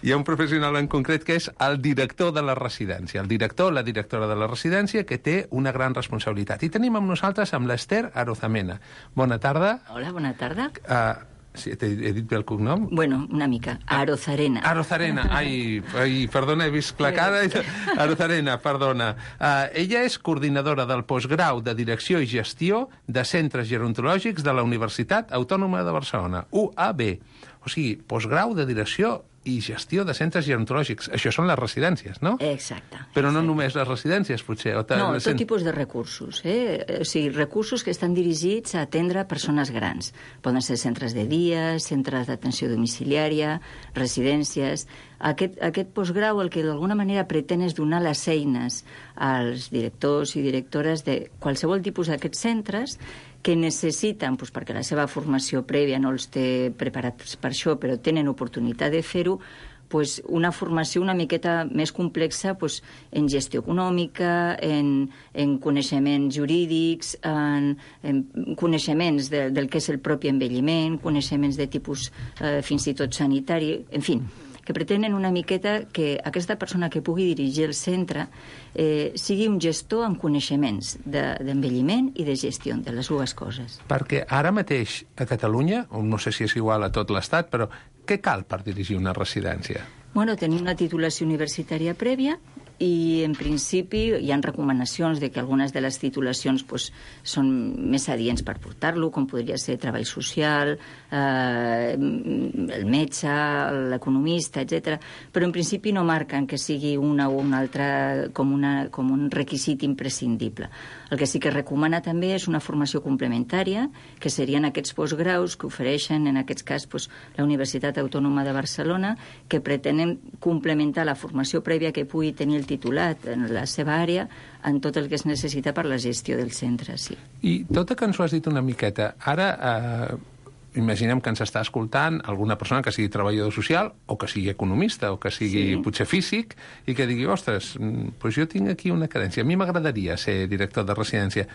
Hi ha un professional en concret que és el director de la residència, el director o la directora de la residència, que té una gran responsabilitat. I tenim amb nosaltres amb l'Ester Arozamena. Bona tarda. Hola, bona tarda. Uh, sí, he, he dit bé el cognom? Bueno, una mica. Arozarena. Arozarena. Ai, ai perdona, he vist la cara. Arozarena, perdona. Uh, ella és coordinadora del postgrau de Direcció i Gestió de Centres Gerontològics de la Universitat Autònoma de Barcelona, U A B. O sigui, postgrau de Direcció i gestió de centres gerontològics. Això són les residències, no? Exacte. Però no exacte. només les residències, potser. O no, tot tipus de recursos. Eh? O sigui, recursos que estan dirigits a atendre persones grans. Poden ser centres de dia, centres d'atenció domiciliària, residències. Aquest, aquest postgrau el que d'alguna manera pretén és donar les eines als directors i directores de qualsevol tipus d'aquests centres que necessiten, doncs, perquè la seva formació prèvia no els té preparats per això, però tenen oportunitat de fer-ho, pues, una formació una miqueta més complexa pues, en gestió econòmica, en, en coneixements jurídics, en, en coneixements de, del que és el propi envelliment, coneixements de tipus eh, fins i tot sanitari, en fi, que pretenen una miqueta que aquesta persona que pugui dirigir el centre eh, sigui un gestor amb coneixements d'envelliment de, i de gestió de les dues coses. Perquè ara mateix a Catalunya, no sé si és igual a tot l'Estat, però què cal per dirigir una residència? Bueno, tenim una titulació universitària prèvia i, en principi, hi ha recomanacions de que algunes de les titulacions pues, són més adients per portar-lo, com podria ser treball social, eh, el metge, l'economista, etcètera. Però, en principi, no marquen que sigui una o una altra com, una, com un requisit imprescindible. El que sí que recomana també és una formació complementària, que serien aquests postgraus que ofereixen, en aquest cas, pues, la Universitat Autònoma de Barcelona, que pretenen complementar la formació prèvia que pugui tenir el titulat en la seva àrea en tot el que es necessita per la gestió del centre, sí. I tot que ens ho has dit una miqueta, ara eh, imaginem que ens està escoltant alguna persona que sigui treballador social o que sigui economista o que sigui sí. potser físic i que digui, ostres, doncs jo tinc aquí una carència, a mi m'agradaria ser director de residència.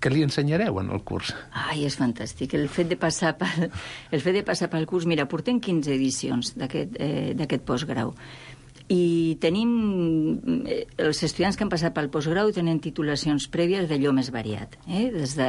Què li ensenyareu en el curs? Ai, és fantàstic. El fet de passar pel, el fet de passar pel curs, mira, portem quinze edicions d'aquest eh, d'aquest postgrau. I tenim, els estudiants que han passat pel postgrau tenen titulacions prèvies d'allò més variat. Eh? Des de,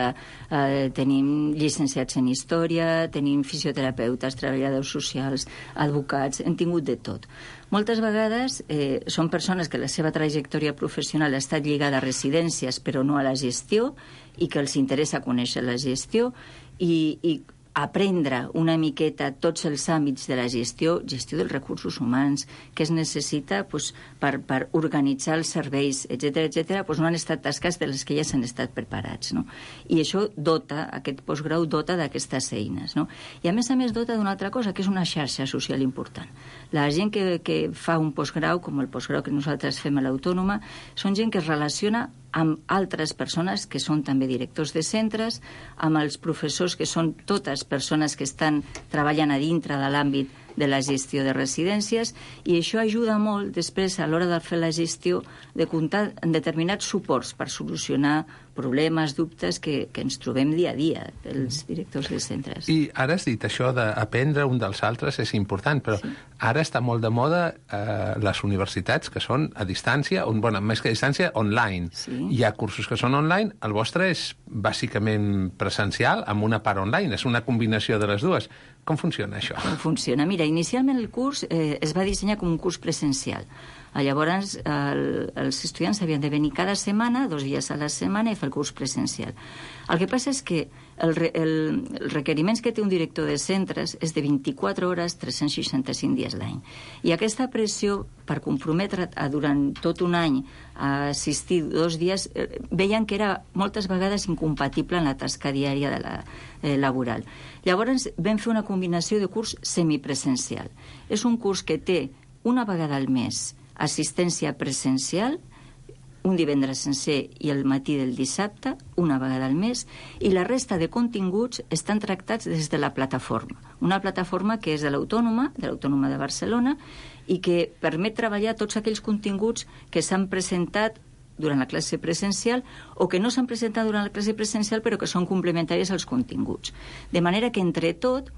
eh, tenim llicenciats en història, tenim fisioterapeutes, treballadors socials, advocats, hem tingut de tot. Moltes vegades eh, són persones que la seva trajectòria professional ha estat lligada a residències però no a la gestió i que els interessa conèixer la gestió i, i aprendre una miqueta tots els àmbits de la gestió, gestió dels recursos humans, que es necessita pues, per, per organitzar els serveis, etcètera, etcètera, pues no han estat tasques de les que ja s'han estat preparats. No? I això dota, aquest postgrau dota d'aquestes eines. No? I a més a més dota d'una altra cosa, que és una xarxa social important. La gent que, que fa un postgrau, com el postgrau que nosaltres fem a l'Autònoma, són gent que es relaciona amb altres persones que són també directors de centres, amb els professors que són totes persones que estan treballant a dintre de l'àmbit de la gestió de residències, i això ajuda molt després a l'hora de fer la gestió de comptar en determinats suports per solucionar problemes, dubtes que, que ens trobem dia a dia, els directors de centres. I ara has dit això d'aprendre un dels altres és important, però sí. Ara està molt de moda eh, les universitats que són a distància, on, bueno, més que a distància, online. Sí. Hi ha cursos que són online, el vostre és bàsicament presencial, amb una part online, és una combinació de les dues. Com funciona això? Com funciona? Mira, inicialment el curs eh, es va dissenyar com un curs presencial. Llavors, el, els estudiants havien de venir cada setmana, dos dies a la setmana, i fer el curs presencial. El que passa és que el, el, els requeriments que té un director de centres és de vint-i-quatre hores, tres-cents seixanta-cinc dies l'any. I aquesta pressió, per comprometre't a, durant tot un any a assistir dos dies, eh, veien que era moltes vegades incompatible en la tasca diària de la, eh, laboral. Llavors, vam fer una combinació de curs semipresencial. És un curs que té una vegada al mes assistència presencial, un divendres sencer i el matí del dissabte, una vegada al mes, i la resta de continguts estan tractats des de la plataforma. Una plataforma que és de l'Autònoma, de l'Autònoma de Barcelona, i que permet treballar tots aquells continguts que s'han presentat durant la classe presencial o que no s'han presentat durant la classe presencial però que són complementaris als continguts. De manera que, entre tot,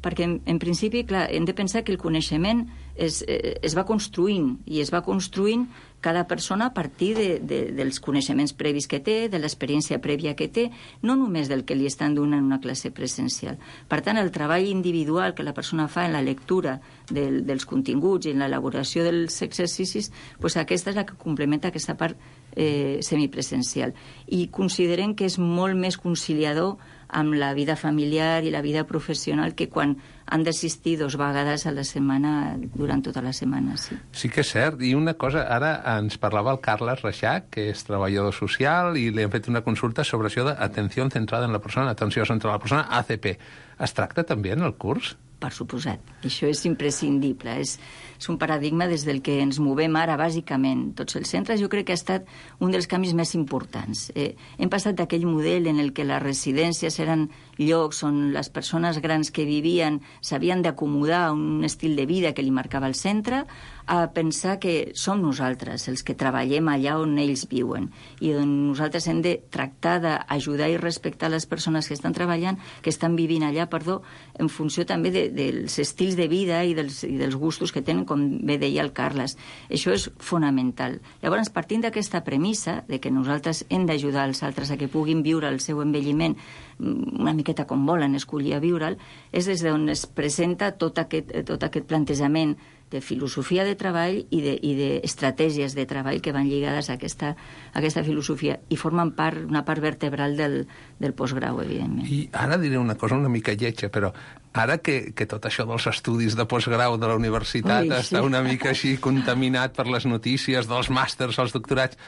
perquè en, en principi, clar, hem de pensar que el coneixement es, eh, es va construint i es va construint cada persona a partir de, de, dels coneixements previs que té, de l'experiència prèvia que té, no només del que li estan donant en una classe presencial. Per tant, el treball individual que la persona fa en la lectura del, dels continguts i en l'elaboració dels exercicis, doncs aquesta és la que complementa aquesta part eh, semipresencial. I considerem que és molt més conciliador amb la vida familiar i la vida professional que quan han d'assistir dos vegades a la setmana durant tota la setmana, sí. Sí que és cert. I una cosa, ara ens parlava el Carles Reixac, que és treballador social, i li hem fet una consulta sobre això d'atenció centrada en la persona, atenció centrada en la persona, A C P. Es tracta també en el curs? Per suposat. Això és imprescindible. És, és un paradigma des del que ens movem ara, bàsicament. Tots els centres, jo crec que ha estat un dels canvis més importants. Eh, hem passat d'aquell model en el que les residències eren llocs on les persones grans que vivien s'havien d'acomodar a un estil de vida que li marcava el centre, a pensar que som nosaltres els que treballem allà on ells viuen i on nosaltres hem de tractar d'ajudar i respectar les persones que estan treballant, que estan vivint allà, perdó, en funció també de, dels estils de vida i dels, i dels gustos que tenen, com bé deia el Carles. Això és fonamental. Llavors, partint d'aquesta premissa de que nosaltres hem d'ajudar els altres a que puguin viure el seu envelliment una miqueta com volen escollir a viure'l, és des d'on es presenta tot aquest, tot aquest plantejament de filosofia de treball i d'estratègies de, de treball que van lligades a aquesta, a aquesta filosofia i formen part, una part vertebral del, del postgrau, evidentment. I ara diré una cosa una mica lletja, però ara que, que tot això dels estudis de postgrau de la universitat Ui, està sí. una mica així contaminat per les notícies dels màsters, els doctorats,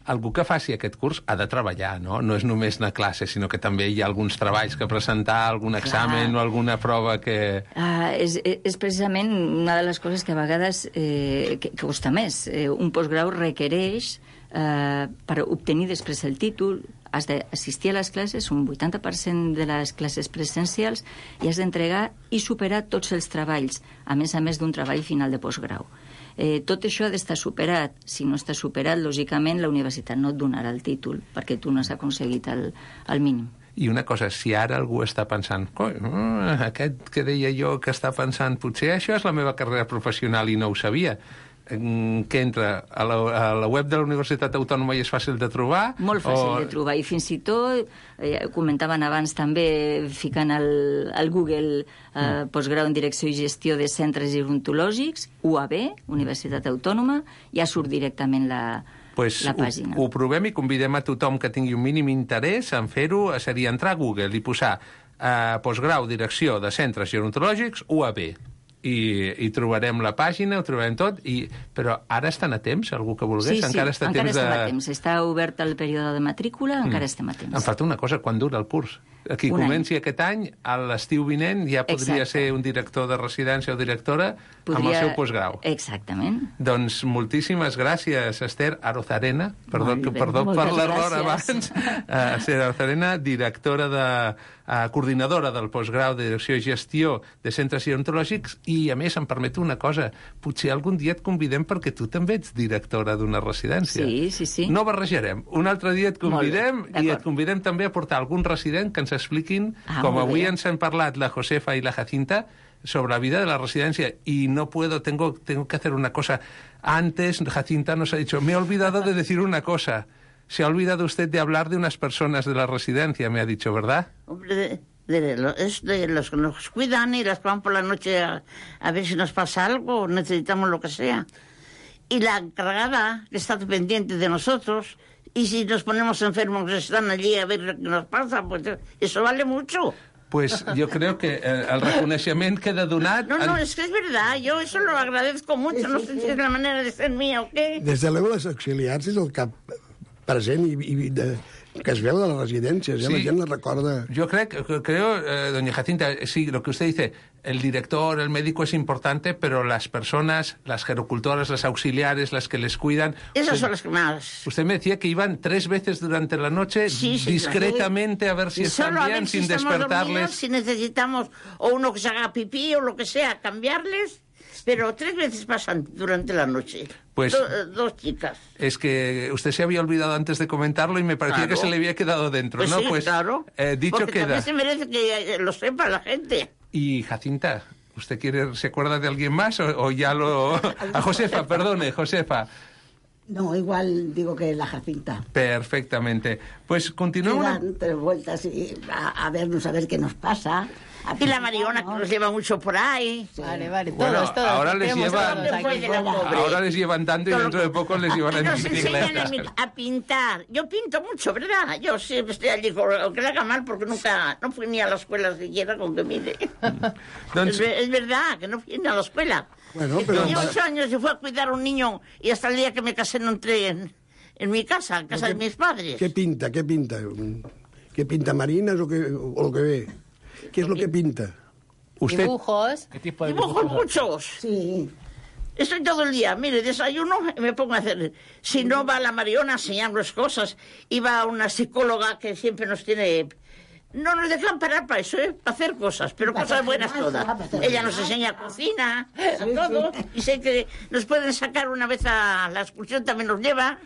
algú que faci aquest curs ha de treballar, no? No és només anar a classe, sinó que també hi ha alguns treballs que presentar, algun examen Clar. o alguna prova que... Uh, és, és precisament una de les coses que a vegades eh, que, que costa més. Eh, un postgrau requereix, eh, per obtenir després el títol, has d'assistir a les classes, un vuitanta per cent de les classes presencials, i has d'entregar i superar tots els treballs, a més a més d'un treball final de postgrau. Eh, tot això ha d'estar superat. Si no està superat, lògicament, la universitat no et donarà el títol, perquè tu no has aconseguit el, el mínim. I una cosa, si ara algú està pensant aquest que deia jo que està pensant, potser això és la meva carrera professional i no ho sabia, que entra a la, a la web de la Universitat Autònoma i és fàcil de trobar? Molt fàcil o... de trobar, i fins i tot, eh, comentaven abans també, ficant al, al Google eh, mm. postgrau en direcció i gestió de centres gerontològics, U A B, Universitat Autònoma, ja surt directament la, pues la pàgina. Ho, ho provem i convidem a tothom que tingui un mínim interès en fer-ho, seria entrar a Google i posar eh, postgrau direcció de centres gerontològics U A B. I, i trobarem la pàgina, ho trobarem tot, i, però ara estan a temps, algú que volgués? Sí, sí, encara està encara temps estem de... a temps. Està obert el període de matrícula, mm. encara estem a temps. Em falta una cosa, quan dura el curs? Aquí un comenci any. aquest any, a l'estiu vinent ja podria Exacte. ser un director de residència o directora podria... amb el seu postgrau. Exactament. Doncs moltíssimes gràcies, Esther Arozarena, perdó, que, perdó per l'error abans, uh, Esther Arozarena, directora de... Uh, coordinadora del postgrau de direcció i gestió de centres gerontològics, i a més em permeto una cosa, potser algun dia et convidem perquè tu també ets directora d'una residència. Sí, sí, sí. No barrejarem. Un altre dia et convidem i et convidem també a portar algun resident que ens expliquin, ah, com avui bé. ens han parlat la Josefa i la Jacinta, sobre la vida de la residencia, y no puedo, tengo, tengo que hacer una cosa. Antes, Jacinta nos ha dicho, me he olvidado de decir una cosa. Se ha olvidado usted de hablar de unas personas de la residencia, me ha dicho, ¿verdad? Hombre, de, de, lo, es de los que nos cuidan y las que van por la noche a, a ver si nos pasa algo, o necesitamos lo que sea. Y la encargada, que está pendiente de nosotros, y si nos ponemos enfermos, están allí a ver lo que nos pasa, pues eso vale mucho. Pues yo creo que eh, el reconocimiento queda donat... No, no, es que es verdad, yo eso lo agradezco mucho, no sé si es la manera de ser mía o qué. Des de luego, les auxiliars és el cap present i, i de, que es veu de les residències, sí. eh? La gent la recorda. Yo creo, creo eh, doña Jacinta, sí, lo que usted dice, el director, el médico es importante, pero las personas, las gerocultoras, las auxiliares, las que les cuidan... Esas usted, son las que más... Usted me decía que iban tres veces durante la noche, sí, sí, discretamente, claro. a ver si están Solo bien, si sin despertarles. Dormidos, si necesitamos o uno que se haga pipí o lo que sea, cambiarles... Pero tres veces pasan durante la noche. Pues Do, dos chicas. Es que usted se había olvidado antes de comentarlo y me parecía claro. que se le había quedado dentro, pues ¿no? Sí, pues claro. Eh, dicho Porque queda. También se merece que lo sepa la gente. Y Jacinta, ¿usted quiere, se acuerda de alguien más o, o ya lo... A Josefa, perdone, Josefa. No, igual digo que la Jacinta. Perfectamente. Pues continuamos. Dan tres vueltas y a, a vernos, a ver qué nos pasa. Y la Mariona, que nos lleva mucho por ahí. Vale, vale, todos, Bueno, todos. ahora les Tenemos llevan, todos aquí. ahora les llevan tanto y dentro de poco les llevan en Nos enseñan a, bicicleta. mi- a pintar. Yo pinto mucho, ¿verdad? Yo siempre estoy allí, con- aunque le haga mal, porque nunca, no fui ni a la escuela siquiera con que mire. es, ve- es verdad, que no fui ni a la escuela. Bueno, pero- Tenía ocho años y fui a cuidar a un niño y hasta el día que me casé no entré en, en mi casa, en casa de mis padres. ¿Qué pinta? ¿Qué pinta? ¿Qué pinta? ¿Marinas o, qué, o lo que ve? ¿Qué es lo que pinta? Usted... Dibujos. ¿Qué tipo de Dibujos dibujos? muchos. Sí. Estoy todo el día, mire, desayuno y me pongo a hacer. Si no va la Mariona a enseñarnos cosas, y va una psicóloga que siempre nos tiene. No nos dejan parar para eso, ¿eh? Para hacer cosas, pero Para cosas hacer buenas más, todas. para hacer Ella más. nos enseña cocina, a Sí, todo, sí. y sé que nos pueden sacar una vez a la excursión, también nos lleva.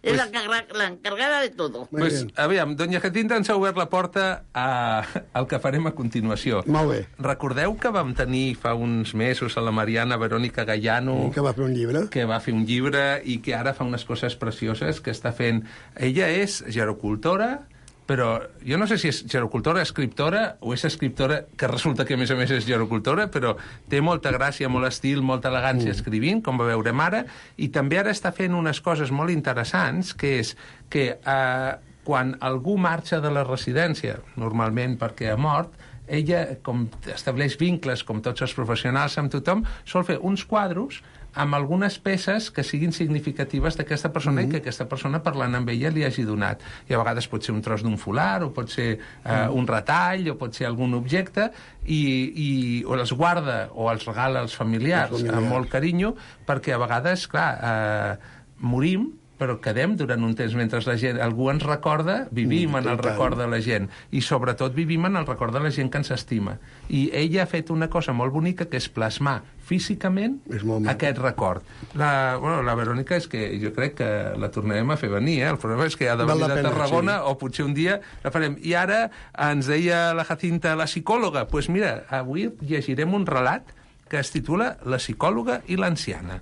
Es la, encarga- la encargada de todo. Muy Pues, bien. aviam, doña Jacinta ens ha obert la porta a, al que farem a continuació. Molt bé. Recordeu que vam tenir fa uns mesos a la Mariana Verònica Gallano, Que va fer un llibre. que va fer un llibre i que ara fa unes coses precioses que està fent. Ella és gerocultora, però jo no sé si és gerocultora, escriptora, o és escriptora, que resulta que a més a més és gerocultora, però té molta gràcia, molt estil, molta elegància escrivint, com va veurem ara, i també ara està fent unes coses molt interessants, que és que eh, quan algú marxa de la residència, normalment perquè ha mort, ella, com estableix vincles, com tots els professionals, amb tothom, sol fer uns quadros amb algunes peces que siguin significatives d'aquesta persona mm-hmm. i que aquesta persona, parlant amb ella, li hagi donat. I a vegades pot ser un tros d'un folar, o pot ser eh, mm. un retall, o pot ser algun objecte, i, i o els guarda o els regala als familiars, Els familiars. amb molt carinyo, perquè a vegades, clar, eh, morim, però quedem durant un temps mentre la gent, algú ens recorda, vivim Mm, en el total. record de la gent, i sobretot vivim en el record de la gent que ens estima. I ella ha fet una cosa molt bonica, que és plasmar físicament És molt maco. aquest record. La, bueno, la Verònica és que jo crec que la tornarem a fer venir, eh? El problema és que ha de Val venir la de pena, Tarragona, sí. o potser un dia la farem. I ara ens deia la Jacinta, la psicòloga, doncs pues mira, avui llegirem un relat que es titula La psicòloga i l'anciana.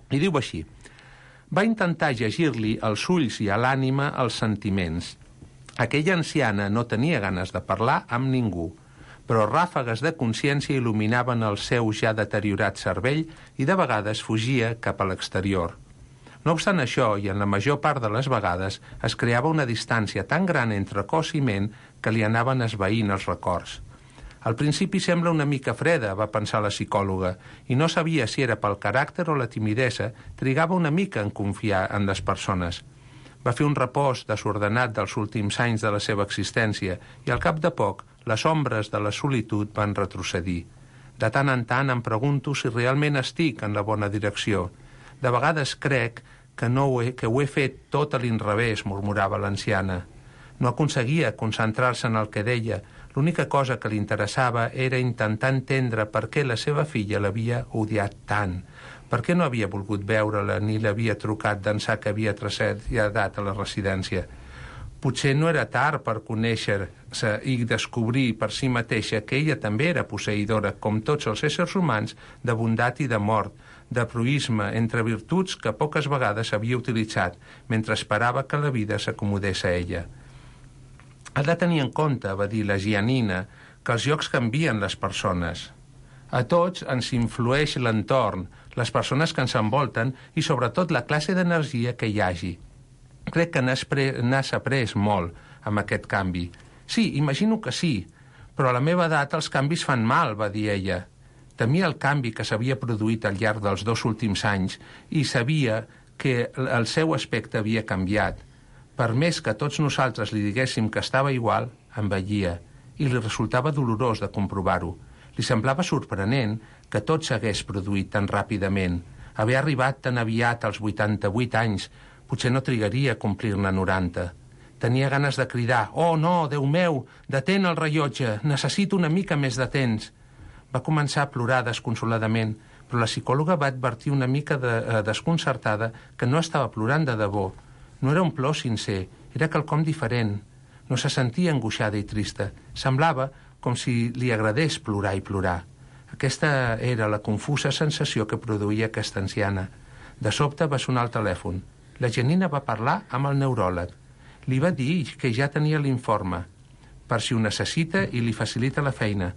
I diu així: va intentar llegir-li als ulls i a l'ànima els sentiments. Aquella anciana no tenia ganes de parlar amb ningú, però ràfegues de consciència il·luminaven el seu ja deteriorat cervell i de vegades fugia cap a l'exterior. No obstant això, i en la major part de les vegades, es creava una distància tan gran entre cos i ment que li anaven esvaint els records. Al principi sembla una mica freda, va pensar la psicòloga, i no sabia si era pel caràcter o la timidesa, trigava una mica en confiar en les persones. Va fer un repòs desordenat dels últims anys de la seva existència i al cap de poc les ombres de la solitud van retrocedir. De tant en tant em pregunto si realment estic en la bona direcció. De vegades crec que, no ho he, que ho he fet tot a l'inrevés, murmurava l'anciana. No aconseguia concentrar-se en el que deia. L'única cosa que li interessava era intentar entendre per què la seva filla l'havia odiat tant, per què no havia volgut veure-la ni l'havia trucat d'ençà que havia traslladat a la residència. Potser no era tard per conèixer-se i descobrir per si mateixa que ella també era posseïdora, com tots els éssers humans, de bondat i de mort, de proïsme entre virtuts que poques vegades havia utilitzat, mentre esperava que la vida s'acomodés a ella. Ha de tenir en compte, va dir la Gianina, que els llocs canvien les persones. A tots ens influeix l'entorn, les persones que ens envolten i sobretot la classe d'energia que hi hagi. Crec que n'has, pre... n'has après molt amb aquest canvi. Sí, imagino que sí, però a la meva edat els canvis fan mal, va dir ella. Temia el canvi que s'havia produït al llarg dels dos últims anys i sabia que el seu aspecte havia canviat. Per més que tots nosaltres li diguéssim que estava igual, envellia, i li resultava dolorós de comprovar-ho. Li semblava sorprenent que tot s'hagués produït tan ràpidament. Haver arribat tan aviat als vuitanta-vuit anys, potser no trigaria a complir-ne noranta. Tenia ganes de cridar: «Oh, no, Déu meu, detén el rellotge, necessito una mica més de temps». Va començar a plorar desconsoladament, però la psicòloga va advertir una mica de, eh, desconcertada que no estava plorant de debò. No era un plor sincer, era quelcom diferent. No se sentia angoixada i trista. Semblava com si li agradés plorar i plorar. Aquesta era la confusa sensació que produïa aquesta anciana. De sobte va sonar el telèfon. La Janina va parlar amb el neuròleg. Li va dir que ja tenia l'informe. per si ho necessita i li facilita la feina.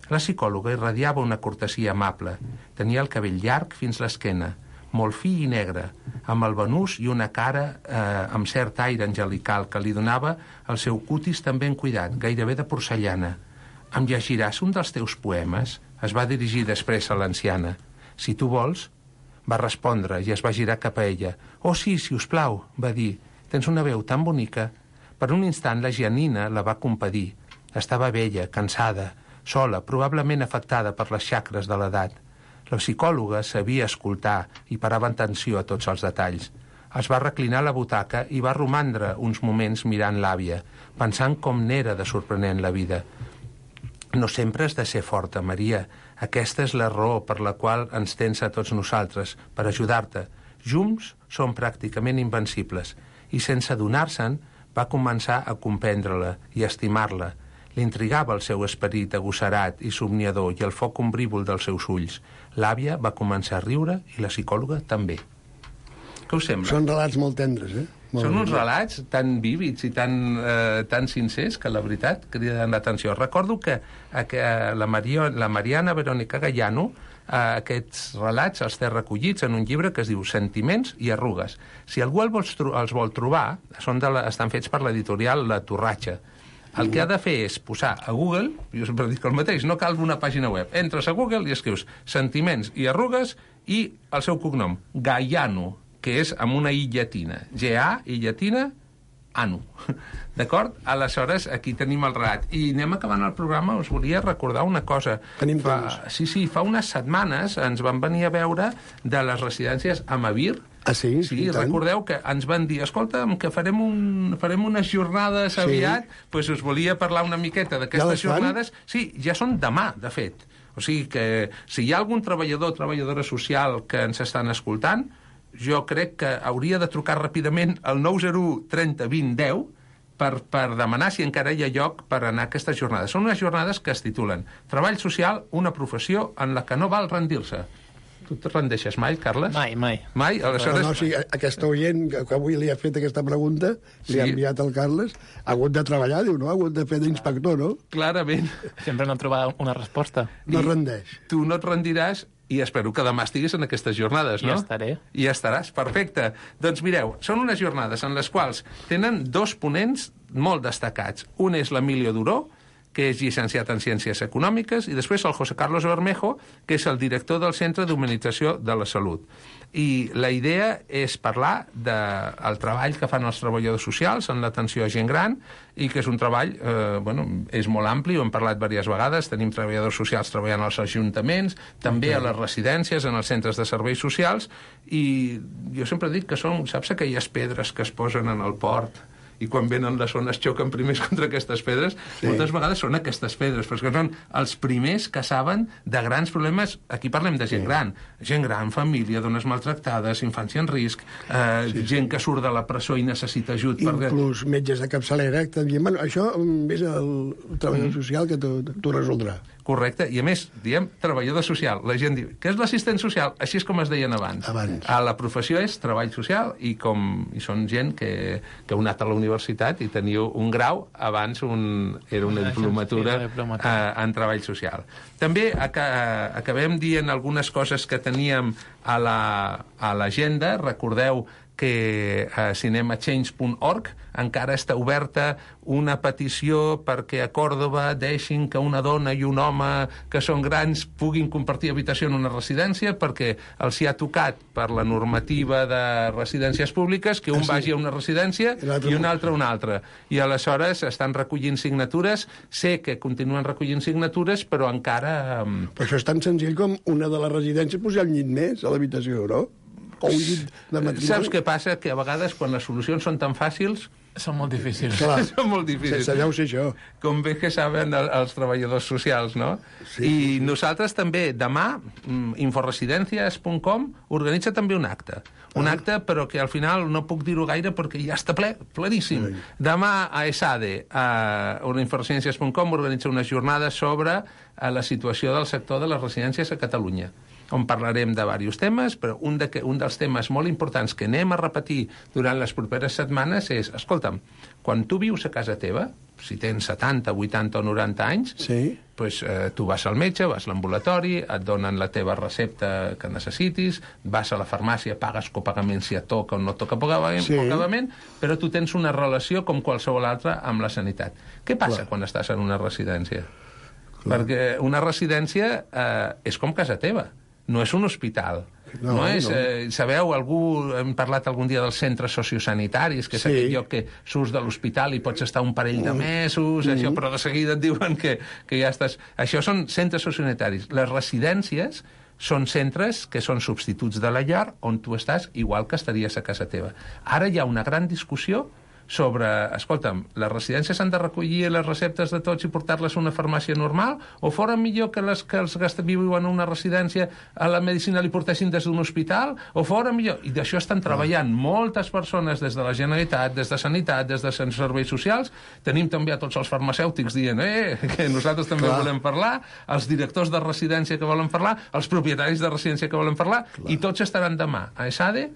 La psicòloga irradiava una cortesia amable. Tenia el cabell llarg fins l'esquena, molt fi i negre, amb el banús i una cara eh, amb cert aire angelical que li donava el seu cutis tan ben cuidat, gairebé de porcellana. Em llegiràs un dels teus poemes? Es va dirigir després a l'anciana. Si tu vols, va respondre i es va girar cap a ella. Oh sí, si us plau, va dir. Tens una veu tan bonica. Per un instant la Gianina la va compadir. Estava vella, cansada, sola, probablement afectada per les xacres de l'edat. La psicòloga sabia escoltar i parava atenció a tots els detalls. Es va reclinar a la butaca i va romandre uns moments mirant l'àvia, pensant com n'era de sorprenent la vida. No sempre has de ser forta, Maria. Aquesta és la raó per la qual ens tens a tots nosaltres, per ajudar-te. Junts som pràcticament invencibles. I sense adonar-se'n, va començar a comprendre-la i a estimar-la. L'intrigava el seu esperit agosserat i somniador i el foc ombrívol dels seus ulls. L'àvia va començar a riure i la psicòloga també. Què us sembla? Són relats molt tendres, eh? Molt Són uns bé. relats tan vívids i tan, eh, tan sincers que la veritat criden l'atenció. Recordo que, que la, Mario, la Mariana Verónica Gallano eh, aquests relats els té recollits en un llibre que es diu Sentiments i arrugues. Si algú els vol, els vol trobar, són de la, estan fets per l'editorial La Torratxa. El que ha de fer és posar a Google, jo sempre dic el mateix, no cal una pàgina web. Entres a Google i escrius Sentiments i arrugues i el seu cognom, Gallano, que és amb una i llatina. G A i llatina, ano. D'acord? Aleshores, aquí tenim el relat. I anem acabant el programa, us volia recordar una cosa. Tenim fa, temps. Sí, sí, fa unes setmanes ens van venir a veure de les residències Amavir. Ah, sí? Sí, recordeu que ens van dir, escolta, que farem, un, farem unes jornades aviat, sí. Pues us volia parlar una miqueta d'aquestes ja jornades. Sí, ja són demà, de fet. O sigui que si hi ha algun treballador o treballadora social que ens estan escoltant, jo crec que hauria de trucar ràpidament al nou zero u trenta vint deu per, per demanar si encara hi ha lloc per anar a aquestes jornades. Són unes jornades que es titulen Treball social, una professió en la que no val rendir-se. Tu te rendeixes mai, Carles? Mai, mai. Mai? Aleshores... No, no, sí, aquesta oient que avui li ha fet aquesta pregunta, li sí. ha enviat al Carles, ha hagut de treballar, diu, no? Ha hagut de fer d'inspector, no? Clarament. Sempre no ha trobat una resposta. No I rendeix. Tu no et rendiràs i espero que demà estiguis en aquestes jornades, no? I estaré. I estaràs, perfecte. Doncs mireu, són unes jornades en les quals tenen dos ponents molt destacats. Un és l'Emilio Duró, que és llicenciat en Ciències Econòmiques, i després el José Carlos Bermejo, que és el director del Centre d'Humanització de la Salut. I la idea és parlar del treball que fan els treballadors socials en l'atenció a gent gran, i que és un treball, eh, bueno, és molt ampli, ho hem parlat diverses vegades, tenim treballadors socials treballant als ajuntaments, també a les residències, en els centres de serveis socials, i jo sempre dic que són, saps aquelles pedres que es posen en el port, i quan venen les ones xoquen primers contra aquestes pedres, sí. Moltes vegades són aquestes pedres, perquè són els primers que saben de grans problemes. Aquí parlem de gent sí. gran, gent gran, família, dones maltractades, infància en risc, eh, sí, gent que surt de la presó i necessita ajut. Inclús perquè... metges de capçalera, també. Bueno, això és el treballador mm. social que t'ho resoldrà. Correcte, i a més, diem treballador social. La gent diu, què és l'assistent social? Així és com es deien abans. abans. A la professió és treball social i, com, i són gent que, que heu anat a la universitat i teniu un grau, abans un, era una diplomatura eh, en treball social. També aca, acabem dient algunes coses que teníem a l'agenda. La, recordeu que a cinema change punt org encara està oberta una petició perquè a Còrdova deixin que una dona i un home que són grans puguin compartir habitació en una residència, perquè els hi ha tocat per la normativa de residències públiques que un ah, sí. vagi a una residència i un altre a una altra. I aleshores estan recollint signatures. Sé que continuen recollint signatures, però encara... Però això és tan senzill com una de les residències posar un llit més a l'habitació, no? O un llit de matrimoni. Saps què passa? Que a vegades, quan les solucions són tan fàcils... Són molt difícils. Clar, són molt difícils. Sense deu ser això. Com bé que saben el, els treballadors socials, no? Sí. I nosaltres també, demà, inforesidencias punt com organitza també un acte. Un ah. acte, però que al final no puc dir-ho gaire perquè ja està ple, pleníssim. Sí. Demà a ESADE, a inforesidencias punt com, organitza una jornada sobre la situació del sector de les residències a Catalunya, on parlarem de diversos temes, però un, de que, un dels temes molt importants que anem a repetir durant les properes setmanes és, escolta'm, quan tu vius a casa teva, si tens setanta, vuitanta o noranta anys, sí. pues, eh, tu vas al metge, vas a l'ambulatori, et donen la teva recepta que necessitis, vas a la farmàcia, pagues copagament si et toca o no et toca pagament, sí. pagament, però tu tens una relació com qualsevol altra amb la sanitat. Què passa Clar. quan estàs en una residència? Clar. Perquè una residència eh, és com casa teva, no és un hospital. No, no és, no. Eh, sabeu, algú, hem parlat algun dia dels centres sociosanitaris, que és sí. aquell lloc que surts de l'hospital i pots estar un parell de mesos, mm. això, però de seguida et diuen que, que ja estàs... Això són centres sociosanitaris. Les residències són centres que són substituts de la llar on tu estàs igual que estaries a casa teva. Ara hi ha una gran discussió sobre, escolta'm, les residències han de recollir les receptes de tots i portar-les a una farmàcia normal, o fora millor que les que els que viuen en una residència a la medicina li portessin des d'un hospital, o fora millor... I d'això estan treballant moltes persones des de la Generalitat, des de Sanitat, des de Serveis Socials. Tenim també a tots els farmacèutics dient eh, que nosaltres també Clar. volem parlar, els directors de residència que volen parlar, els propietaris de residència que volen parlar, Clar. i tots estaran demà a ESADE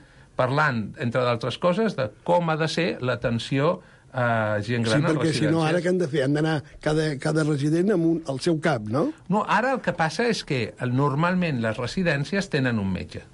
parlant, entre d'altres coses, de com ha de ser l'atenció a gent gran a residències. Sí, perquè si no, ara què han de fer? Han d'anar cada, cada resident amb un, al seu cap, no? No, ara el que passa és que normalment les residències tenen un metge.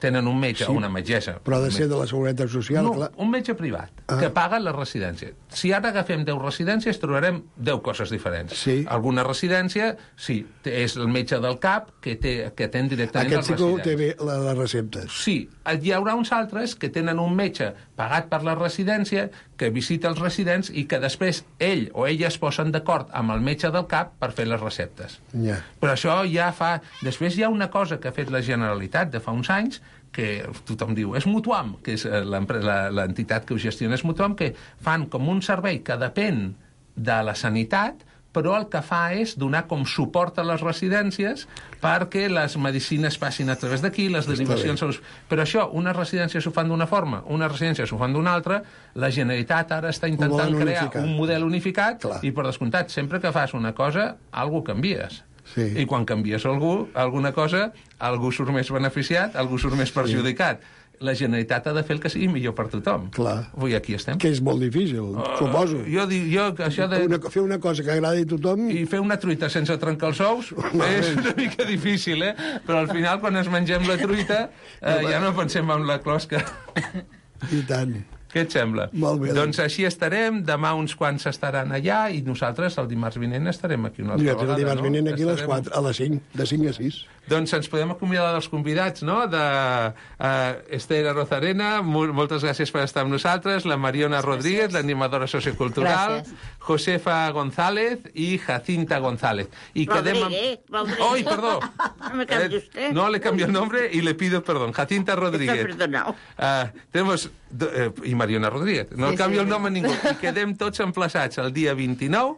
Tenen un metge sí, o una metgessa. Però ha de ser de la Seguretat Social, no, clar. Un metge privat, ah. que paga la residència. Si ara agafem deu residències, trobarem deu coses diferents. Sí. Alguna residència, sí, és el metge del cap que, té, que atén directament les residències. Aquest sí que té bé les receptes. Sí. Hi haurà uns altres que tenen un metge pagat per la residència, que visita els residents i que després ell o ella es posen d'acord amb el metge del cap per fer les receptes. Yeah. Però això ja fa... Després hi ha una cosa que ha fet la Generalitat de fa uns anys, que tothom diu, és Mutuam, que és l'entitat que ho gestiona, és Mutuam, que fan com un servei que depèn de la sanitat, però el que fa és donar com suport a les residències perquè les medicines passin a través d'aquí, les derivacions... Però això, unes residències ho fan d'una forma, unes residències ho fan d'una altra, la Generalitat ara està intentant crear unificat. un model unificat Clar. i, per descomptat, sempre que fas una cosa, algú canvies. Sí. I quan canvies algú, alguna cosa, algú surt més beneficiat, algú surt més perjudicat. Sí. La Generalitat ha de fer el que sigui millor per tothom. Clar. Avui aquí estem. Que és molt difícil, uh, suposo. Jo dic, jo, això de... Una, fer una cosa que agradi a tothom... I fer una truita sense trencar els ous és una mica difícil, eh? Però al final, quan ens mengem la truita, eh, ja no pensem en la closca. I tant. Què et sembla? Molt bé. Doncs així estarem, demà uns quants estaran allà i nosaltres el dimarts vinent estarem aquí una altra ja, vegada, el dimarts no? vinent aquí estarem... a les quatre, a les cinc, de cinc a sis. Doncs ens podem acomiadar dels convidats, no? De uh, Esther Arozarena, moltes gràcies per estar amb nosaltres, la Mariona gràcies. Rodríguez, l'animadora sociocultural, gràcies. Josefa González i Jacinta González. Y Rodríguez, amb... ¡Ay, perdón! No me cambie usted. No, le cambio el nombre y le pido perdón. Jacinta Rodríguez. Está perdonado. Uh, tenemos... Uh, I Mariona Rodríguez. No sí, canvio sí, el nom a ningú. I quedem tots emplaçats el dia vint-i-nou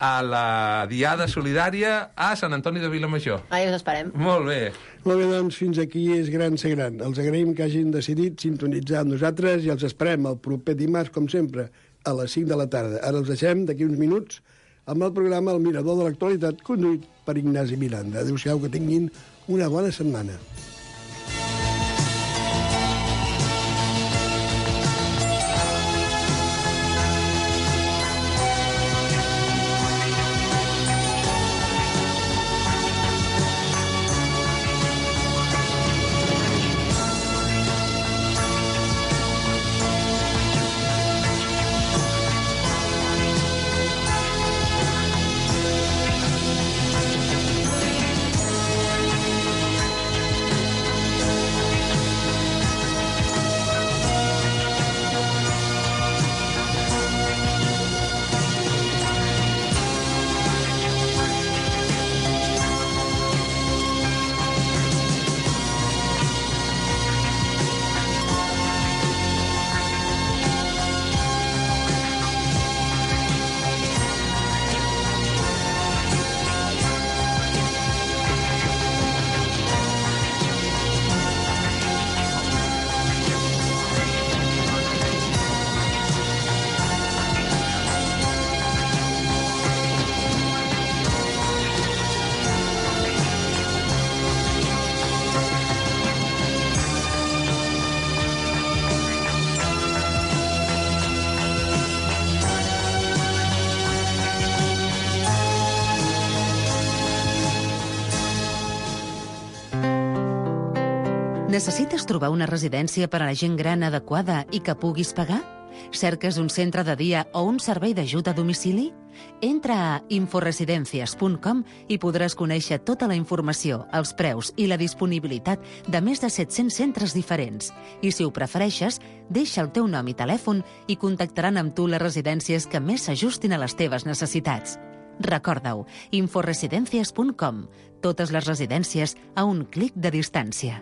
a la Diada Solidària a Sant Antoni de Vilamajor. Ahí us esperem. Molt bé. Molt bé, doncs fins aquí és gran ser gran. Els agraïm que hagin decidit sintonitzar amb nosaltres i els esperem el proper dimarts, com sempre, a les cinc de la tarda. Ara els deixem d'aquí uns minuts amb el programa El Mirador de l'Actualitat, conduït per Ignasi Miranda. Adéu-siau, que tinguin una bona setmana. Necessites trobar una residència per a la gent gran adequada i que puguis pagar? Cerques un centre de dia o un servei d'ajut a domicili? Entra a inforesidencias punt com i podràs conèixer tota la informació, els preus i la disponibilitat de més de set-cents centres diferents. I si ho prefereixes, deixa el teu nom i telèfon i contactaran amb tu les residències que més s'ajustin a les teves necessitats. Recorda-ho, inforesidencias punt com. Totes les residències a un clic de distància.